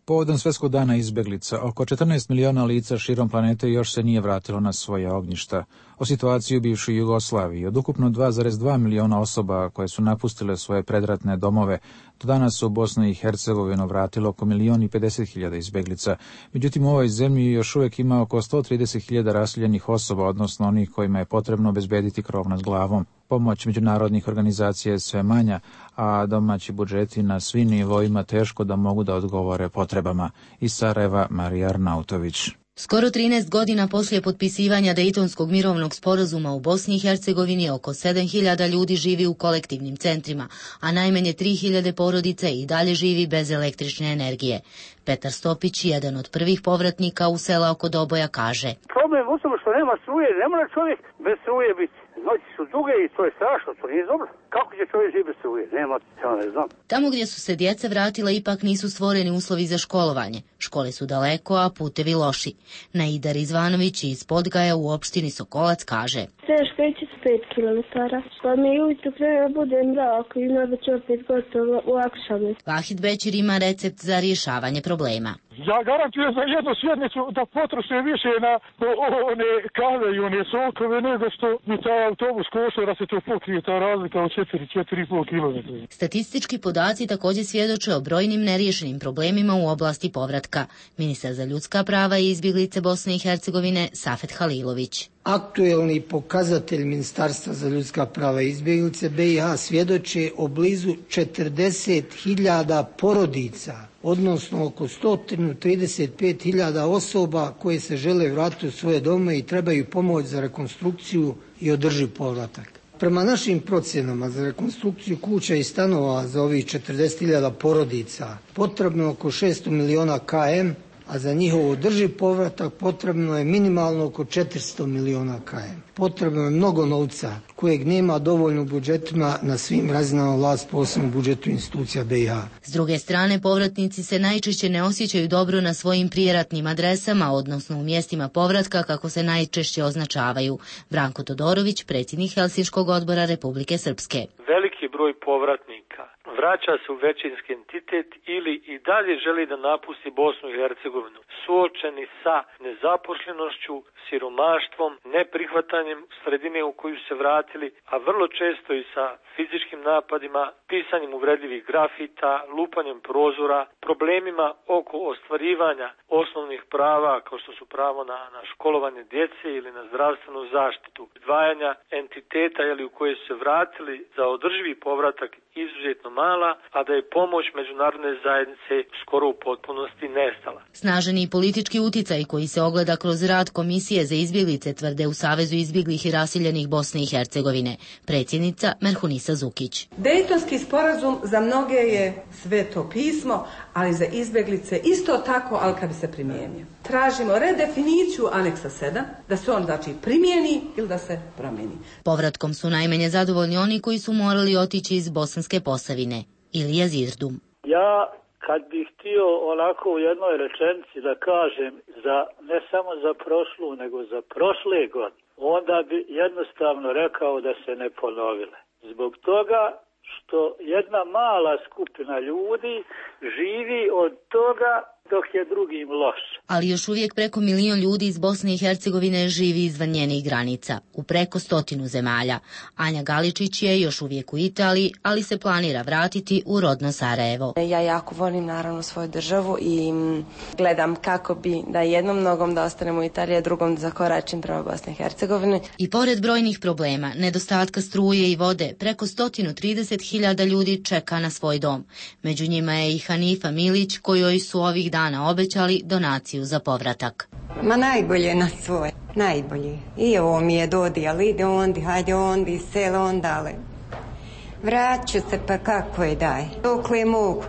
Povodom Svjetskog dana izbjeglica, oko četrnaest miliona lica širom planete još se nije vratilo na svoje ognjišta. O situaciji u bivšoj Jugoslaviji, od ukupno dva zarez dva miliona osoba koje su napustile svoje predratne domove, do danas su u Bosnu i Hercegovinu vratilo oko milion i pedeset hiljada izbjeglica. Međutim, u ovoj zemlji još uvijek ima oko sto trideset hiljada raseljenih osoba, odnosno onih kojima je potrebno obezbediti krov nad glavom. Pomoć međunarodnih organizacija je sve manja, a domaći budžeti na svim nivoima teško da mogu da odgovore potrebama. Iz Sarajeva, Marija Arnautović. Skoro trinaest godina poslije potpisivanja Dejtonskog mirovnog sporazuma u Bosni i Hercegovini oko sedam hiljada ljudi živi u kolektivnim centrima, a najmanje tri hiljade porodica i dalje živi bez električne energije. Petar Stopić, jedan od prvih povratnika u sela oko Doboja, kaže: Problem u tome što nema struje, ne mora čovjek bez struje biti. Noći su duge i to je strašno, to nije dobro. Kako će čovjek živjeti bez struje? Nema, ja ne znam. Tamo gdje su se djeca vratila ipak nisu stvoreni uslovi za školovanje. Škole su daleko, a putevi loši. Najdar Izvanović iz Podgaja u opštini Sokolac kaže: Teško ići pet kilometara, pa mi ujutro prema bude mrak i onda će opet gotovo u Akšami. Vahid Bećir ima recept za rješavanje problema. Ja garantujem za jednu sjednicu da potroše više na one kave i one sokove nego što mi taj autobus košta da se to pokrije, ta razlika od četiri, četiri i pol kilometra. Statistički podaci također svjedoče o brojnim neriješenim problemima u oblasti povratka. Ministar za ljudska prava i izbjeglice Bosne i Hercegovine Safet Halilović. Aktuelni pokazatelj Ministarstva za ljudska prava i izbjeglice B i H svjedoče o blizu četrdeset hiljada porodica, odnosno oko sto trideset pet hiljada osoba koje se žele vratiti u svoje dome i trebaju pomoć za rekonstrukciju i održiv povratak. Prema našim procjenama za rekonstrukciju kuća i stanova za ovih četrdeset hiljada porodica potrebno oko šesto miliona km, a za njihov održiv povratak potrebno je minimalno oko četiristo miliona km. Potrebno je mnogo novca kojeg nema dovoljno u budžetima na svim razinama vlasti, posebno u budžetu institucija B i H. S druge strane, povratnici se najčešće ne osjećaju dobro na svojim prijeratnim adresama, odnosno u mjestima povratka kako se najčešće označavaju. Branko Todorović, predsjednik Helsinškog odbora Republike Srpske. Veliki broj povratnika Hrvatska vraća se u većinski entitet ili i dalje želi da napusti Bosnu i Hercegovinu, suočeni sa nezaposlenošću, siromaštvom, neprihvatanjem sredine u koju se vratili, a vrlo često i sa fizičkim napadima, pisanjem uvredljivih grafita, lupanjem prozora, problemima oko ostvarivanja osnovnih prava kao što su pravo na, na školovanje djece ili na zdravstvenu zaštitu, izdvajanja entiteta jeli, u koje su se vratili za održivi povratak izuzetno mala, a da je pomoć međunarodne zajednice skoro u potpunosti nestala. Snaženi politički uticaj koji se ogleda kroz rad Komisije za izbjeglice, tvrde u Savezu izbjeglih i raseljenih Bosne i Hercegovine predsjednica Merhunisa Zukić. Dejtonski sporazum za mnoge je sveto pismo, ali za izbjeglice isto tako, ali kad bi se primijenio. Tražimo redefiniciju aneksa sedam, da se on znači primijeni ili da se promijeni. Povratkom su najmanje zadovoljni oni koji su morali otići iz Bosanske Posavine. Ilija Zirdum. Ja kad bih htio onako u jednoj rečenici da kažem za ne samo za prošlu, nego za prošle godine, onda bi jednostavno rekao da se ne ponovile. Zbog toga što jedna mala skupina ljudi živi od toga dok je drugim loš. Ali još uvijek preko milion ljudi iz Bosne i Hercegovine živi izvan njenih granica, u preko stotinu zemalja. Anja Galičić je još uvijek u Italiji, ali se planira vratiti u rodno Sarajevo. Ja jako volim naravno svoju državu i gledam kako bi da jednom nogom da ostanem u Italiji, a drugom da zakoračim prema Bosni i Hercegovini. I pored brojnih problema, nedostatka struje i vode, preko sto trideset hiljada ljudi čeka na svoj dom. Među njima je i Hanifa Milić, kojoj su ovih dana obećali donaciju za povratak. Ma najbolje na svoj, najbolje. I ovo mi je dodijal, ide ondi, hajde ondi, selo ondale. Vraću se pa kako je daj, dokle mogu.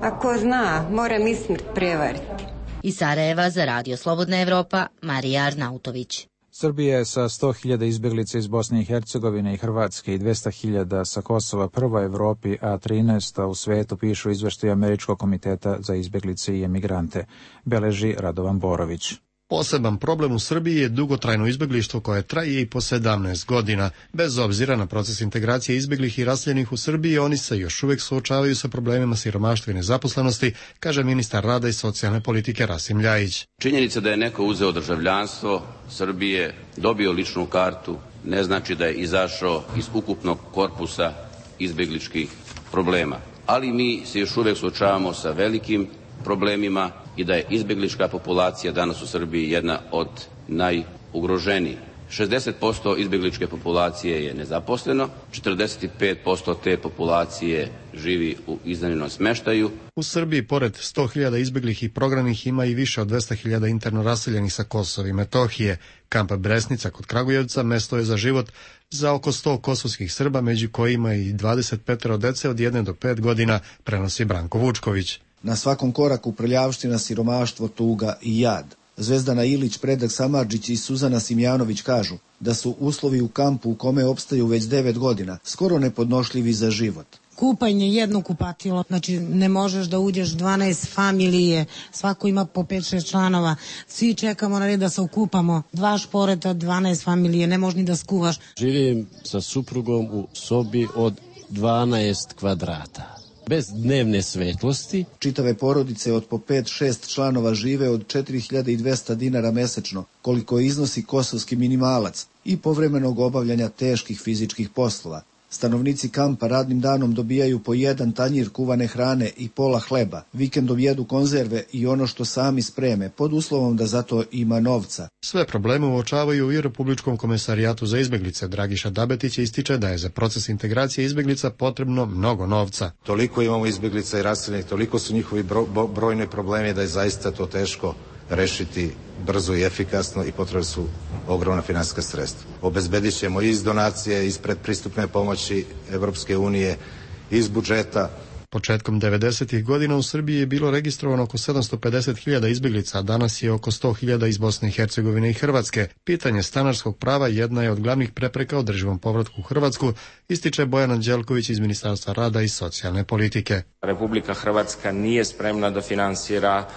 Ako zna, moram i smrt prevariti. Iz Sarajeva za Radio Slobodna Evropa, Marija Arnautović. Srbija je sa sto hiljada izbjeglica iz Bosne i Hercegovine i Hrvatske i dvesta hiljada sa Kosova prva u Evropi, a trinaesta u svetu, pišu izveštaj Američkog komiteta za izbjeglice i emigrante. Beleži Radovan Borović. Poseban problem u Srbiji je dugotrajno izbjeglištvo koje traje i po sedamnaest godina. Bez obzira na proces integracije izbjeglih i raseljenih u Srbiji, oni se još uvijek suočavaju sa problemima siromaštva i nezaposlenosti, kaže ministar rada i socijalne politike Rasim Ljajić. Činjenica da je neko uzeo državljanstvo Srbije, dobio ličnu kartu, ne znači da je izašao iz ukupnog korpusa izbjegličkih problema. Ali mi se još uvijek suočavamo sa velikim problemima i da je izbjeglička populacija danas u Srbiji jedna od najugroženijih. šezdeset posto izbjegličke populacije je nezaposleno, četrdeset pet posto te populacije živi u iznajmljenom smještaju. U Srbiji pored sto hiljada izbjeglih i prognanih ima i više od dvesta hiljada interno raseljenih sa Kosova i Metohije. Kamp Bresnica kod Kragujevca mesto je za život za oko sto kosovskih Srba, među kojima i dvadeset pet dece od jedne do pet godina, prenosi Branko Vučković. Na svakom koraku prljavština, siromaštvo, tuga i jad. Zvezdana Ilić, Predrag Samardžić i Suzana Simjanović kažu da su uslovi u kampu u kome opstaju već devet godina skoro nepodnošljivi za život. Kupanje jedno kupatilo, znači ne možeš da uđeš dvanaest familije, svako ima po pet šest članova, svi čekamo na red da se okupamo, dva šporeta, dvanaest familije, ne možeš ni da skuvaš. Živim sa suprugom u sobi od dvanaest kvadrata. Bez dnevne svetlosti. Čitave porodice od po pet šest članova žive od četiri hiljade dvesta dinara mesečno, koliko iznosi kosovski minimalac, i povremenog obavljanja teških fizičkih poslova. Stanovnici kampa radnim danom dobijaju po jedan tanjir kuvane hrane i pola hleba, vikendom jedu konzerve i ono što sami spreme, pod uslovom da zato ima novca. Sve probleme uočavaju i Republičkom komesarijatu za izbjeglice. Dragiša Dabetić ističe da je za proces integracije izbjeglica potrebno mnogo novca. Toliko imamo izbjeglica i raseljenih, toliko su njihovi bro, bo, brojni problemi da je zaista to teško rešiti brzo i efikasno i potrebno su ogromna finansijska sredstva. Obezbedit ćemo iz donacije, iz predpristupne pomoći Evropske unije, iz budžeta. Početkom devedesetih godina u Srbiji je bilo registrovano oko sedamsto pedeset hiljada izbjeglica, a danas je oko sto hiljada iz Bosne i Hercegovine i Hrvatske. Pitanje stanarskog prava jedna je od glavnih prepreka održivom povratku u Hrvatsku, ističe Bojan Anđelković iz Ministarstva rada i socijalne politike. Republika Hrvatska nije spremna da finansira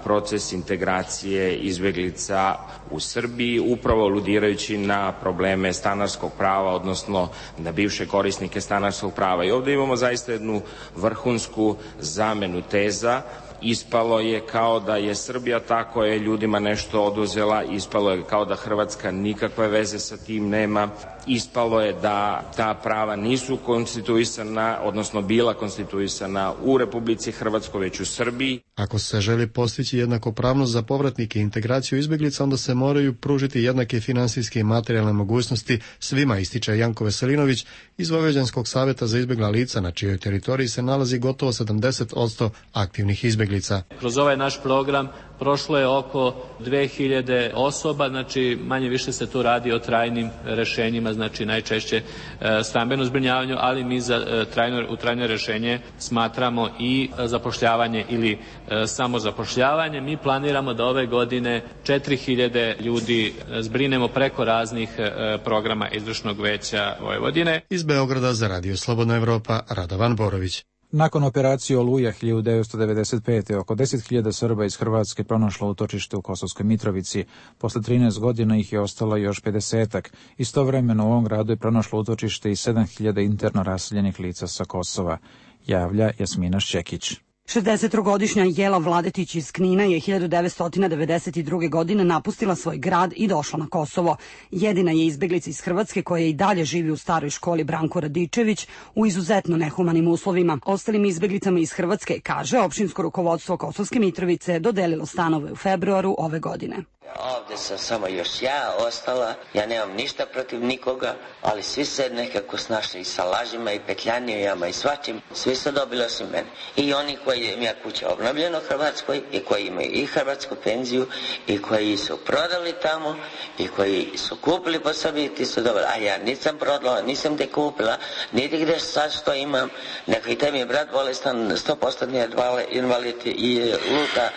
proces integracije izbjeglica u Srbiji, upravo aludirajući na probleme stanarskog prava, odnosno na bivše korisnike stanarskog prava. I ovdje imamo zaista jednu vrhunsku zamenu teza. Ispalo je kao da je Srbija ta koja je ljudima nešto oduzela, ispalo je kao da Hrvatska nikakve veze sa tim nema, ispalo je da ta prava nisu konstituisana, odnosno bila konstituisana u Republici Hrvatskoj, već u Srbiji. Ako se želi postići jednakopravnost za povratnike i integraciju izbjeglica, onda se moraju pružiti jednake finansijske i materijalne mogućnosti svima, ističe Janko Veselinović iz Vojvođanskog savjeta za izbjegla lica, na čijoj teritoriji se nalazi gotovo sedamdeset posto aktivnih izbjeglica. Kroz ovaj naš program prošlo je oko dve hiljade osoba, znači manje više se tu radi o trajnim rešenjima, znači najčešće e, stambeno zbrinjavanju, ali mi za e, trajno, u trajno rešenje smatramo i zapošljavanje ili e, samozapošljavanje. Mi planiramo da ove godine četiri hiljade ljudi zbrinemo preko raznih e, programa izvršnog veća Vojvodine. Iz Beograda za Radio Slobodna Evropa, Radovan Borović. Nakon operacije Oluja hiljadu devetsto devedeset pete. oko deset hiljada Srba iz Hrvatske pronašlo utočište u Kosovskoj Mitrovici. Posle trinaest godina ih je ostalo još pedesetak. Istovremeno u ovom gradu je pronašlo utočište i sedam hiljada interno raseljenih lica sa Kosova, javlja Jasmina Šćekić. šezdesettrogodišnja Jela Vladetić iz Knina je hiljadu devetsto devedeset druge. godine napustila svoj grad i došla na Kosovo. Jedina je izbeglica iz Hrvatske koja i dalje živi u staroj školi Branko Radičević u izuzetno nehumanim uslovima. Ostalim izbeglicama iz Hrvatske, kaže, opštinsko rukovodstvo Kosovske Mitrovice dodelilo stanove u februaru ove godine. Ovdje sam samo još ja ostala, ja nemam ništa protiv nikoga, ali svi se nekako snašli i sa lažima i petljanijama i svačim, svi su dobili osim mene. I oni koji imaju kuće obnovljeno u Hrvatskoj i koji imaju i hrvatsku penziju i koji su prodali tamo i koji su kupili po sebi, ti su dobili, a ja nisam prodala, nisam te kupila, niti gdje sad što imam, nego i te mi je brat bolestan, sto posto invalid i luta.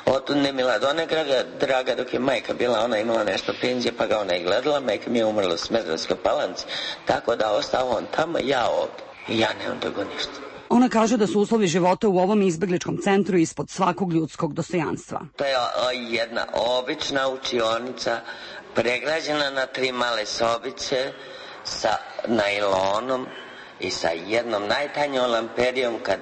Otud ne mila do one draga, draga dok je majka bila, ona imala nešto penzije pa ga ona je gledala, majka mi je umrla u Smederevskoj Palanci, tako da ostao on tamo, ja ovdje i ja nemam drugo ništa. Ona kaže da su uslovi života u ovom izbegličkom centru ispod svakog ljudskog dostojanstva. To je jedna obična učionica, pregrađena na tri male sobice sa najlonom i sa jednom najtanjom lamperijom. Kad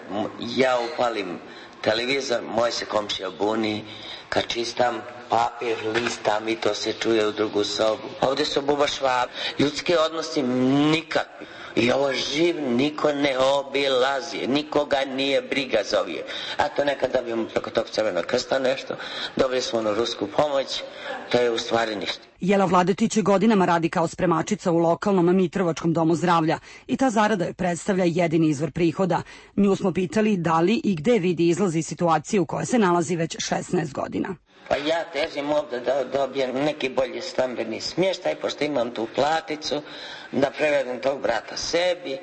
ja upalim televizor, moj se komšija buni, kad čistam papir, listam i to se čuje u drugu sobu. Ovdje su buba švab, ljudski odnosi nikakvi. I ovo živ niko ne obilazi, nikoga nije briga za ovije. A to nekad dobijemo preko tog Crvenog krsta nešto, dobili smo onu rusku pomoć, to je u stvari ništa. Jela Vladetić godinama radi kao spremačica u lokalnom Mitrovačkom domu zdravlja i ta zarada joj predstavlja jedini izvor prihoda. Nju smo pitali da li i gde vidi izlazi situacije u kojoj se nalazi već šesnaest godina. Pa ja težim ovdje da dobijem neki bolji stambeni smještaj, pošto imam tu platicu, da prevedem tog brata sebi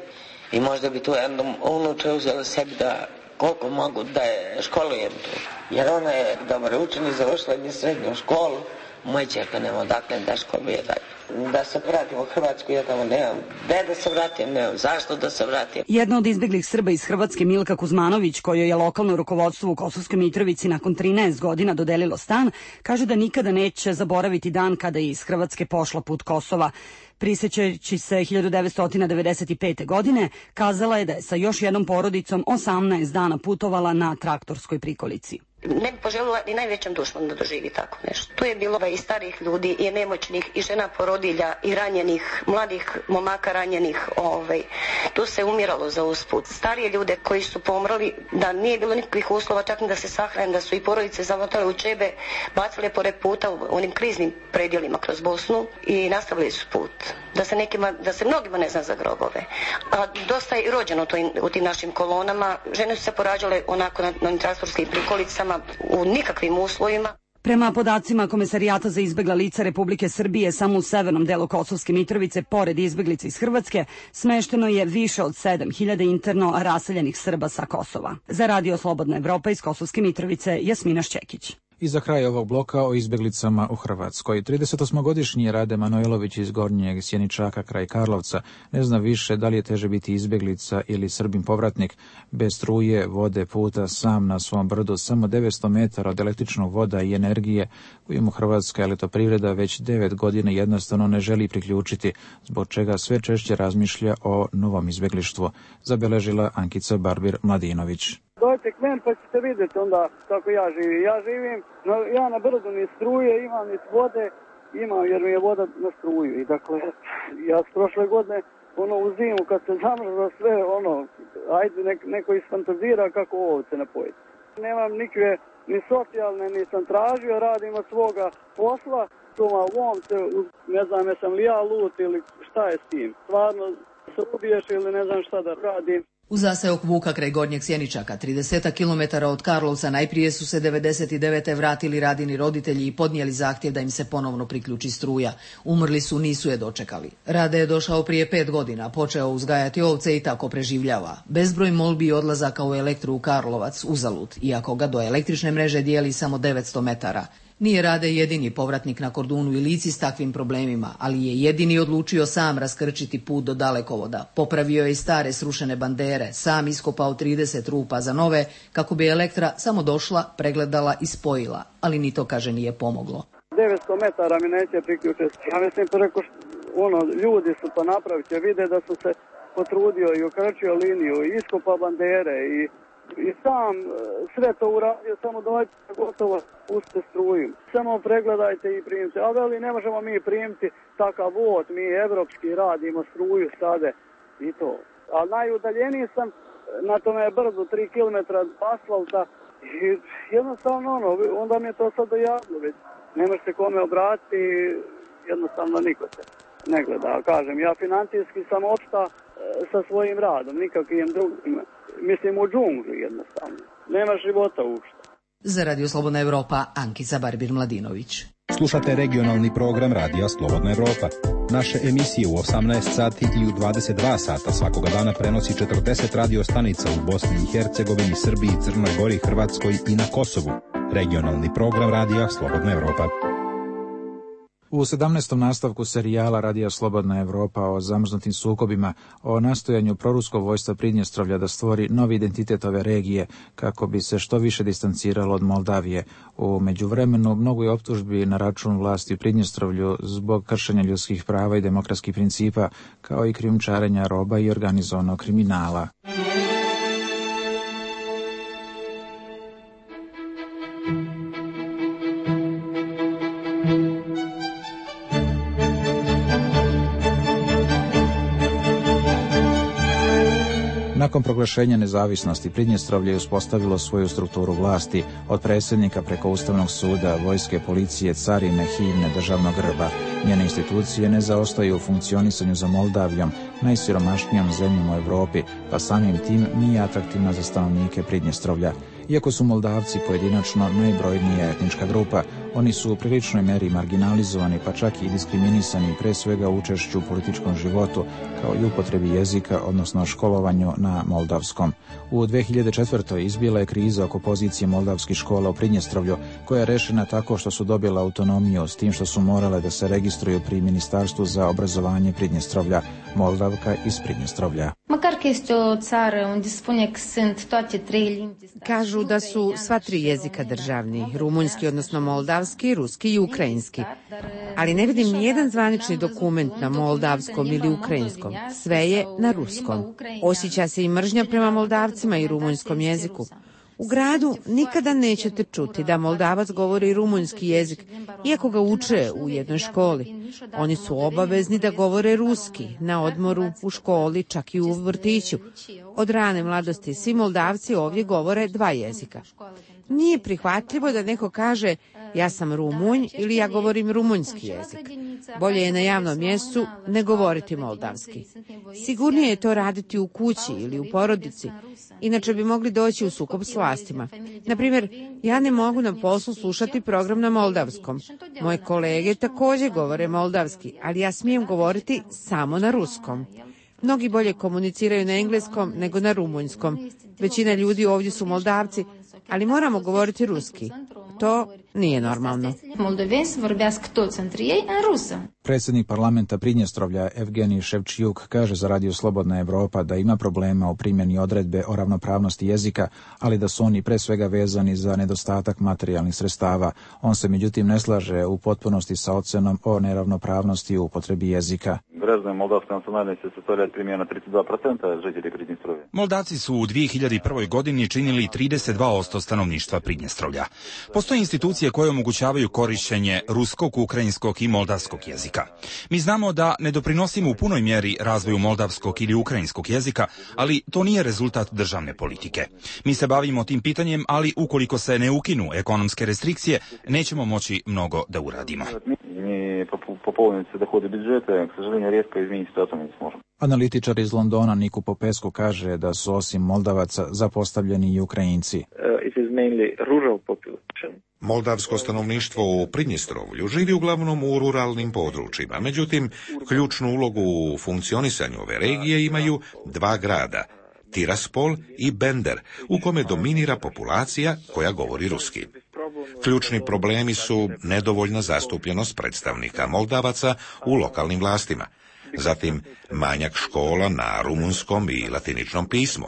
i možda bi tu jednom unuče uzela sebi da koliko mogu da je školujem tu. Jer ona je dobro učenik, završila je srednju školu, moj čerka nema odakle da školuje dalje. Da se vratim u Hrvatsku, ja tamo nemam gde da se vratim, nemam zašto da se vratim. Jedna od izbeglih Srba iz Hrvatske, Milka Kuzmanović, kojoj je lokalno rukovodstvo u Kosovskoj Mitrovici nakon trinaest godina dodelilo stan, kaže da nikada neće zaboraviti dan kada je iz Hrvatske pošla put Kosova. Prisjećajući se hiljadu devetsto devedeset pete. godine, kazala je da je sa još jednom porodicom osamnaest dana putovala na traktorskoj prikolici. Ne bi poželjela ni najvećem dušmanu da doživi tako nešto. Tu je bilo i starih ljudi, i nemoćnih, i žena porodilja, i ranjenih, mladih momaka ranjenih. Ovaj. Tu se umiralo za usput. Starije ljude koji su pomrli, da nije bilo nikakvih uslova, čak ni da se sahrane, da su i porodice zamotale u čebe, bacale pored puta u onim kriznim predjelima kroz Bosnu i nastavili su put. Da se, nekima, da se mnogima ne zna za grobove. A dosta je rođeno to in, u tim našim kolonama. Žene su se porađale onako na, na traktorskim prikolicama u nikakvim uslovima. Prema podacima Komesarijata za izbegla lica Republike Srbije, samo u severnom delu Kosovske Mitrovice, pored izbeglica iz Hrvatske, smešteno je više od sedam hiljada interno raseljenih Srba sa Kosova. Za Radio Slobodna Evropa iz Kosovske Mitrovice, Jasmina Šćekić. I za kraj ovog bloka o izbeglicama u Hrvatskoj. tridesetosmogodišnji Rade Manojlović iz Gornjeg Sjeničaka kraj Karlovca ne zna više da li je teže biti izbeglica ili Srbin povratnik. Bez struje, vode, puta, sam na svom brdu, samo devetsto metara od električnog voda i energije koju mu Hrvatska elektroprivreda već devet godina jednostavno ne želi priključiti, zbog čega sve češće razmišlja o novom izbeglištvu, zabeležila Ankica Barbir-Mladinović. Dojte k meni pa ćete vidjeti onda kako ja živim. Ja živim, no, ja na brdu ni struje, imam ni vode, imam jer mi je voda na struju. I dakle, ja s prošle godine, ono u zimu kad se zamrzlo sve, ono, ajde nek, neko isfantazira kako ovce napojiti. Nemam nikakve ni socijalne, ni sam tražio, radim od svoga posla, tuma u omce, ne znam jesam li ja lut ili šta je s tim. Stvarno se ubiješ ili ne znam šta da radim. U zaseok Vuka kraj Gornjeg Sjeničaka, trideset kilometara od Karlovca, najprije su se devedeset devete vratili Radini roditelji i podnijeli zahtjev da im se ponovno priključi struja. Umrli su, nisu je dočekali. Rade je došao prije pet godina, počeo uzgajati ovce i tako preživljava. Bezbroj molbi i odlazaka u elektru u Karlovac uzalud, iako ga do električne mreže dijeli samo devetsto metara. Nije Rade jedini povratnik na Kordunu i Lici s takvim problemima, ali je jedini odlučio sam raskrčiti put do dalekovoda. Popravio je i stare srušene bandere, sam iskopao trideset rupa za nove, kako bi elektra samo došla, pregledala i spojila, ali ni to, kaže, nije pomoglo. devetsto metara mi neće priključiti. Ja mislim, preko ono, ljudi su to napraviti, vide da su se potrudio i ukrčio liniju, i iskopao bandere i I sam sve to uradio, samo dojte gotovo, pustite struju. Samo pregledajte i primite. A veli, ne možemo mi primiti takav vod, mi evropski radimo struju sade i to. A najudaljeniji sam na tome brdu, tri kilometra asfalta i jednostavno ono, onda mi je to sad dojavno već. Ne može se kome obratiti, jednostavno niko se ne gleda. Kažem, ja financijski sam opšta sa svojim radom, nikakvim drugim. Mislim u džungli jednostavno. Nema života uopšte. Za Radio Slobodna Evropa, Ankica Barbir-Mladinović. Slušate regionalni program Radija Slobodna Evropa. Naše emisije u osamnaest sati i u dvadeset dva sata svakoga dana prenosi četrdeset radio stanica u Bosni i Hercegovini, Srbiji, Crnoj Gori, Hrvatskoj i na Kosovu. Regionalni program Radija Slobodna Evropa. U sedamnaestom nastavku serijala Radija Slobodna Evropa o zamrznutim sukobima, o nastojanju proruskog vojstva Pridnjestrovlja da stvori novi identitet ove regije kako bi se što više distanciralo od Moldavije. U međuvremenu mnogo je optužbi na račun vlasti u Pridnjestrovlju zbog kršenja ljudskih prava i demokratskih principa, kao i krijumčarenja roba i organizovanog kriminala. Nakon proglašenja nezavisnosti, Pridnjestrovlje je uspostavilo svoju strukturu vlasti, od predsjednika preko Ustavnog suda, vojske, policije, carine, himne, državnog grba. Njene institucije ne zaostaju u funkcionisanju za Moldavijom, najsiromašnijom zemljom u Evropi, pa samim tim nije atraktivna za stanovnike Pridnjestrovlja. Iako su Moldavci pojedinačno najbrojnija etnička grupa, oni su u priličnoj meri marginalizovani, pa čak i diskriminisani, pre svega učešću u političkom životu, kao i upotrebi jezika, odnosno školovanju na moldavskom. U dve hiljade četvrtoj izbila je kriza oko pozicije moldavskih škola u Pridnjestrovlju, koja je rešena tako što su dobila autonomiju, s tim što su morale da se registruju pri Ministarstvu za obrazovanje Pridnjestrovlja, Moldavka iz Pridnjestrovlja. Kažu da su sva tri jezika državni, rumunjski, odnosno moldavski, ruski i ukrajinski. Ali ne vidim nijedan zvanični dokument na moldavskom ili ukrajinskom. Sve je na ruskom. Osjeća se i mržnja prema Moldavcima i rumunjskom jeziku. U gradu nikada nećete čuti da Moldavac govori rumunjski jezik, iako ga uče u jednoj školi. Oni su obavezni da govore ruski, na odmoru, u školi, čak i u vrtiću. Od rane mladosti svi Moldavci ovdje govore dva jezika. Nije prihvatljivo da neko kaže ja sam Rumunj ili ja govorim rumunjski jezik. Bolje je na javnom mjestu ne govoriti moldavski. Sigurnije je to raditi u kući ili u porodici, inače bi mogli doći u sukob s vlastima. Naprimjer, ja ne mogu na poslu slušati program na moldavskom. Moje kolege također govore moldavski, ali ja smijem govoriti samo na ruskom. Mnogi bolje komuniciraju na engleskom nego na rumunjskom. Većina ljudi ovdje su Moldavci, ali moramo govoriti ruski. To nije normalno. Predsjednik parlamenta Pridnjestrovlja Evgenij Ševčijuk kaže za Radio Slobodna Evropa da ima problema u primjeni odredbe o ravnopravnosti jezika, ali da su oni pre svega vezani za nedostatak materijalnih sredstava. On se međutim ne slaže u potpunosti sa ocenom o neravnopravnosti u upotrebi jezika. Moldavci su u dvije hiljade prve. godini činili trideset dva posto stanovništva Pridnjestrovlja. Postoje institucije koje omogućavaju korišćenje ruskog, ukrajinskog i moldavskog jezika. Mi znamo da ne doprinosimo u punoj mjeri razvoju moldavskog ili ukrajinskog jezika, ali to nije rezultat državne politike. Mi se bavimo tim pitanjem, ali ukoliko se ne ukinu ekonomske restrikcije, nećemo moći mnogo da uradimo. Analitičar iz Londona Niku Popescu kaže da su osim Moldavaca zapostavljeni i Ukrajinci. Moldavsko stanovništvo u Pridnjestrovlju živi uglavnom u ruralnim područjima, međutim, ključnu ulogu u funkcionisanju ove regije imaju dva grada, Tiraspol i Bender, u kome dominira populacija koja govori ruski. Ključni problemi su nedovoljna zastupljenost predstavnika Moldavaca u lokalnim vlastima, zatim manjak škola na rumunskom i latiničnom pismu.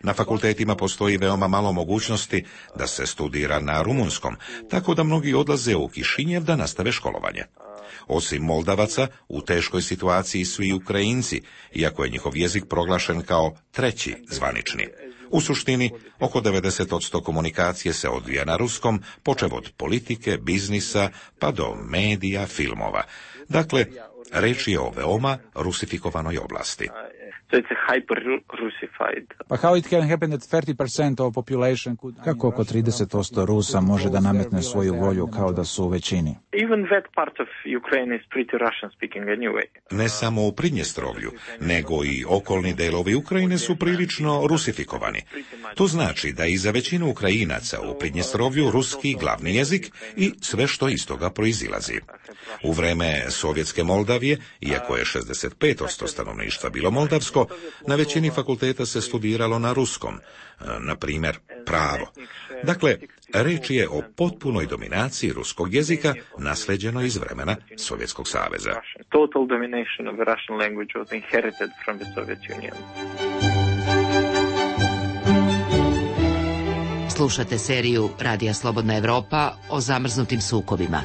Na fakultetima postoji veoma malo mogućnosti da se studira na rumunskom, tako da mnogi odlaze u Kišinjev da nastave školovanje. Osim Moldavaca, u teškoj situaciji su i Ukrajinci, iako je njihov jezik proglašen kao treći zvanični. U suštini, oko devedeset posto komunikacije se odvija na ruskom, počev od politike, biznisa, pa do medija, filmova. Dakle, reč je o veoma rusifikovanoj oblasti. Kako oko trideset posto Rusa može da nametne svoju volju kao da su u većini? Ne samo u Pridnjestrovlju, nego i okolni delovi Ukrajine su prilično rusifikovani. To znači da i za većinu Ukrajinaca u Pridnjestrovlju ruski glavni jezik i sve što iz toga proizilazi. U vreme Sovjetske Moldavije, iako je šezdeset pet posto stanovništva bilo moldavsko, na većini fakulteta se studiralo na ruskom, na primjer pravo. Dakle, reč je o potpunoj dominaciji ruskog jezika nasleđeno iz vremena Sovjetskog saveza. Slušate seriju Radija Slobodna Evropa o zamrznutim sukobima.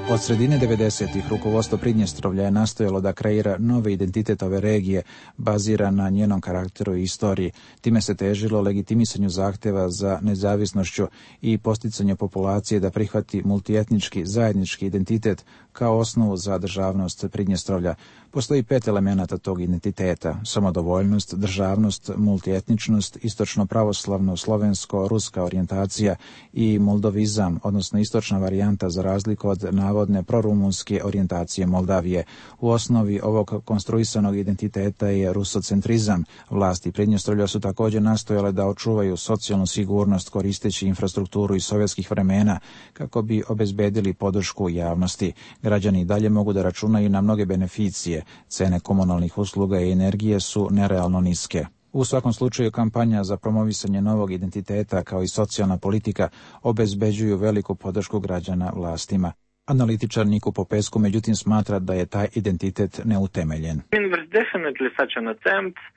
Od sredine devedesetih rukovodstvo Pridnjestrovlja je nastojalo da kreira novi identitet ove regije, baziran na njenom karakteru i istoriji. Time se težilo legitimisanju zahtjeva za nezavisnošću i posticanju populacije da prihvati multietnički zajednički identitet kao osnovu za državnost Pridnjestrovlja. Postoji pet elemenata tog identiteta: samodovoljnost, državnost, multietničnost, istočno pravoslavno, slovensko-ruska orijentacija i moldovizam, odnosno istočna varijanta za razliku od navodne prorumunske orijentacije Moldavije. U osnovi ovog konstruisanog identiteta je rusocentrizam. Vlasti Pridnjestrovlja su također nastojale da očuvaju socijalnu sigurnost koristeći infrastrukturu iz sovjetskih vremena kako bi obezbedili podršku javnosti. Građani i dalje mogu da računaju na mnoge beneficije. Cene komunalnih usluga i energije su nerealno niske. U svakom slučaju, kampanja za promovisanje novog identiteta kao i socijalna politika obezbeđuju veliku podršku građana vlastima. Analitičar Niku Popescu međutim smatra da je taj identitet neutemeljen.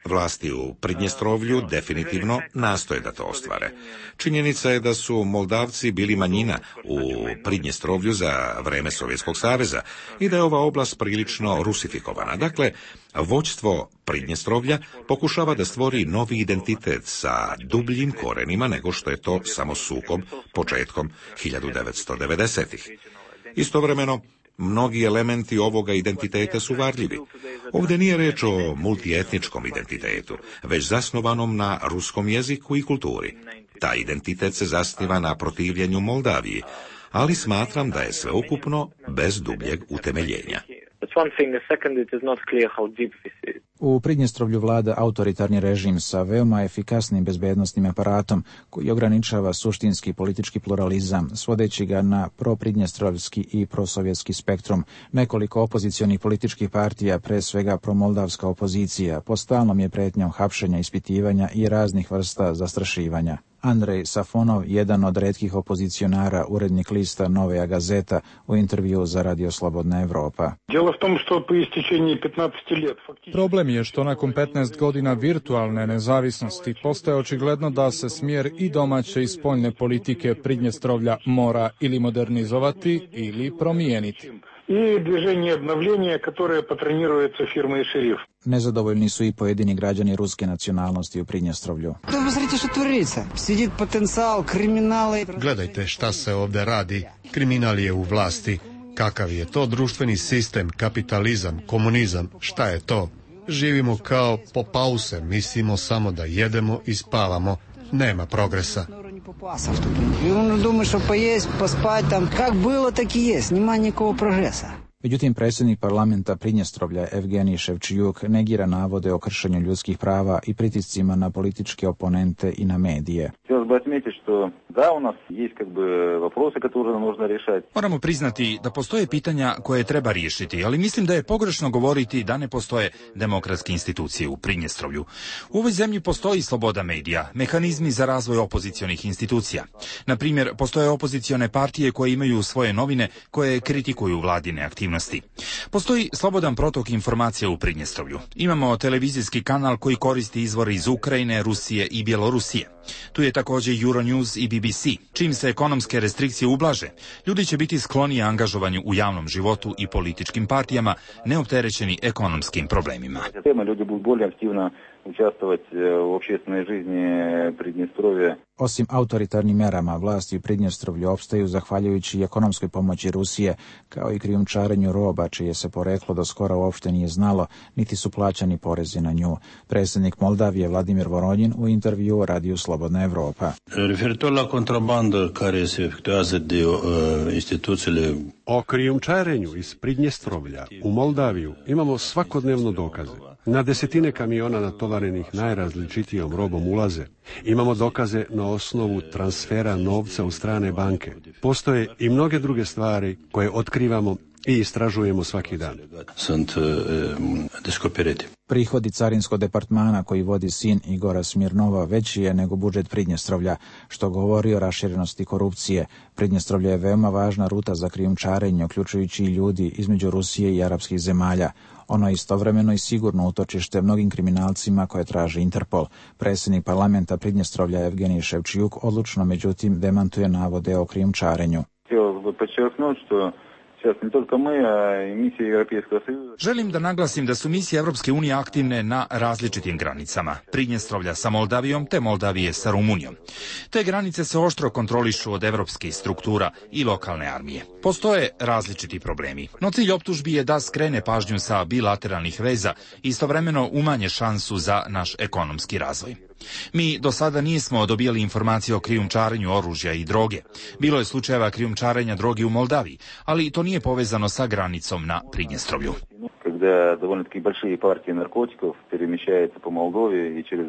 Vlasti u Pridnjestrovlju definitivno nastoje da to ostvare. Činjenica je da su Moldavci bili manjina u Pridnjestrovlju za vreme Sovjetskog saveza i da je ova oblast prilično rusifikovana. Dakle, vođstvo Pridnjestrovlja pokušava da stvori novi identitet sa dubljim korenima nego što je to samo sukob početkom hiljadu devetsto devedesetih. Istovremeno, mnogi elementi ovoga identiteta su varljivi. Ovdje nije reč o multietničkom identitetu, već zasnovanom na ruskom jeziku i kulturi. Taj identitet se zasniva na protivljenju Moldaviji, ali smatram da je sveukupno bez dubljeg utemeljenja. U Pridnjestrovlju vlada autoritarni režim sa veoma efikasnim bezbednosnim aparatom koji ograničava suštinski politički pluralizam, svodeći ga na propridnjestrovski i prosovjetski spektrum. Nekoliko opozicionih političkih partija, pre svega promoldavska opozicija, pod stalnom je pretnjom hapšenja, ispitivanja i raznih vrsta zastrašivanja. Andrej Safonov, jedan od retkih opozicionara, urednik lista Novaja Gazeta, u intervju za Radio Slobodna Evropa. Problem je što nakon petnaest godina virtualne nezavisnosti postaje očigledno da se smjer i domaće i spoljne politike Pridnjestrovlja mora ili modernizovati ili promijeniti. I движение обновления, которое патронируется фирмой «Шериф». Nezadovoljni su i pojedini građani ruske nacionalnosti u Pridnjestrovlju. Gledajte šta se ovdje radi. Kriminal je u vlasti. Kakav je to društveni sistem, kapitalizam, komunizam? Šta je to? Živimo kao po pause, mislimo samo da jedemo i spavamo. Nema progresa. Međutim, predsjednik parlamenta Pridnjestrovlja Evgenij Ševčijuk negira navode o kršenju ljudskih prava i pritiscima na političke oponente i na medije. Moramo priznati da postoje pitanja koje treba riješiti, ali mislim da je pogrešno govoriti da ne postoje demokratske institucije u Pridnjestrovlju. U ovoj zemlji postoji sloboda medija, mehanizmi za razvoj opozicionih institucija. Na primjer, postoje opozicione partije koje imaju svoje novine koje kritikuju vladine aktivnosti. Postoji slobodan protok informacija u Pridnjestrovlju. Imamo televizijski kanal koji koristi izvore iz Ukrajine, Rusije i Bjelorusije. Tu je također Euronews i B B C. Čim se ekonomske restrikcije ublaže, ljudi će biti skloni angažovanju u javnom životu i političkim partijama, neopterećeni ekonomskim problemima. Ljudi budu bolje aktivno učestvovati u общественной жизни Pridnjestrovja. Osim autoritarnim merama, vlasti u Pridnjestrovlju opstaju zahvaljujući ekonomskoj pomoći Rusije, kao i krijumčarenju roba, čije se poreklo do skora uopšte nije znalo, niti su plaćani porezi na nju. Predsjednik Moldavije Vladimir Voronjin u intervju Radiju Slobodna Evropa. O krijumčarenju iz Pridnjestrovlja u Moldaviju imamo svakodnevno dokaze. Na desetine kamiona natovarenih najrazličitijom robom ulaze. Imamo dokaze na osnovu transfera novca u strane banke. Postoje i mnoge druge stvari koje otkrivamo i istražujemo svaki dan. Prihodi carinskog departmana koji vodi sin Igora Smirnova veći je nego budžet Pridnjestrovlja, što govori o raširenosti korupcije. Pridnjestrovlje je veoma važna ruta za krijumčarenje, uključujući i ljudi između Rusije i arapskih zemalja. Ono je istovremeno i sigurno utočište mnogim kriminalcima koje traži Interpol. Predsjednik parlamenta Pridnjestrovlja Evgenij Ševčijuk odlučno međutim demantuje navode o krijumčarenju. Želim da naglasim da su misije Evropske unije aktivne na različitim granicama. Pridnjestrovlja sa Moldavijom te Moldavije sa Rumunijom. Te granice se oštro kontrolišu od evropskih struktura i lokalne armije. Postoje različiti problemi, no cilj optužbi je da skrene pažnju sa bilateralnih veza i istovremeno umanje šansu za naš ekonomski razvoj. Mi do sada nismo dobijali informacije o krijumčarenju oružja i droge. Bilo je slučajeva krijumčarenja droge u Moldaviji, ali to nije povezano sa granicom na Pridnjestrovlju. Когда довольно-таки большие партии наркотиков перемещаются по Молдове и через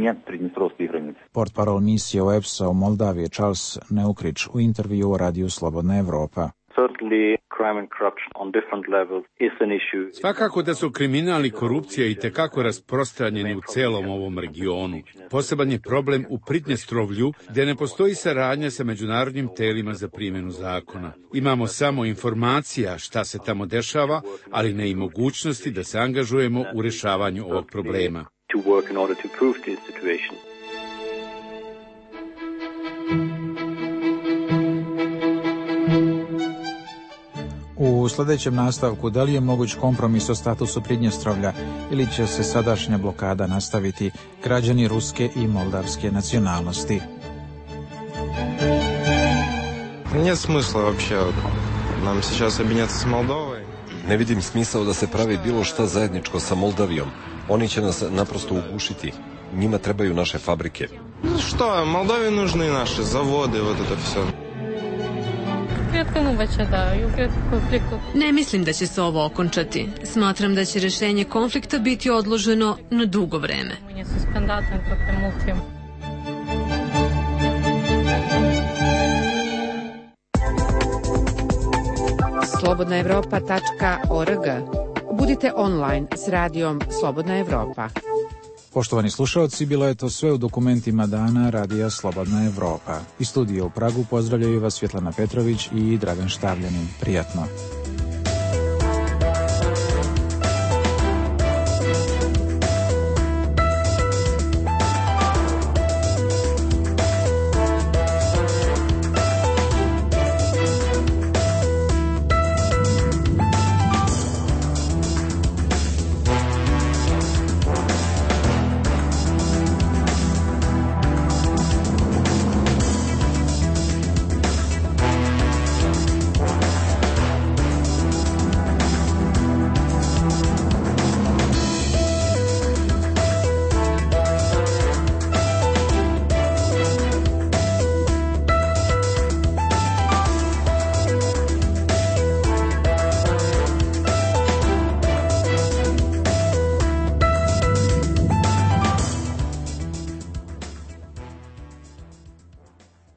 неприднестровские границы. Portparol misije O E P S-a u Moldaviji Charles Neukrić u intervju u Radiju Slobodna Evropa. Svakako da su kriminal i korupcija i tekako rasprostranjeni u celom ovom regionu. Poseban je problem u Pridnjestrovlju, gdje ne postoji saradnja sa međunarodnim telima za primjenu zakona. Imamo samo informacija šta se tamo dešava, ali ne i mogućnosti da se angažujemo u rešavanju ovog problema. U sljedećem nastavku, da li je moguć kompromis o statusu Pridnjestrovlja ili će se sadašnja blokada nastaviti, građani ruske i moldavske nacionalnosti? Нет смысла вообще нам сейчас объединяться с Молдовой. Ne vidim smisao da se pravi bilo šta zajedničko sa Moldavijom. Oni će nas naprosto ugušiti. njima trebaju naše fabrike. Što, Moldovi nužni naše zavode, вот это все. Ne mislim da će se ovo okončati. Smatram da će rešenje konflikta biti odloženo na dugo vreme. slobodna evropa tačka org. Budite online s radijom Slobodna Evropa. Poštovani slušalci, bilo je to sve u dokumentima dana Radija Slobodna Evropa. Iz studija u Pragu pozdravljaju vas Svjetlana Petrović i Dragan Štavljanin. Prijatno.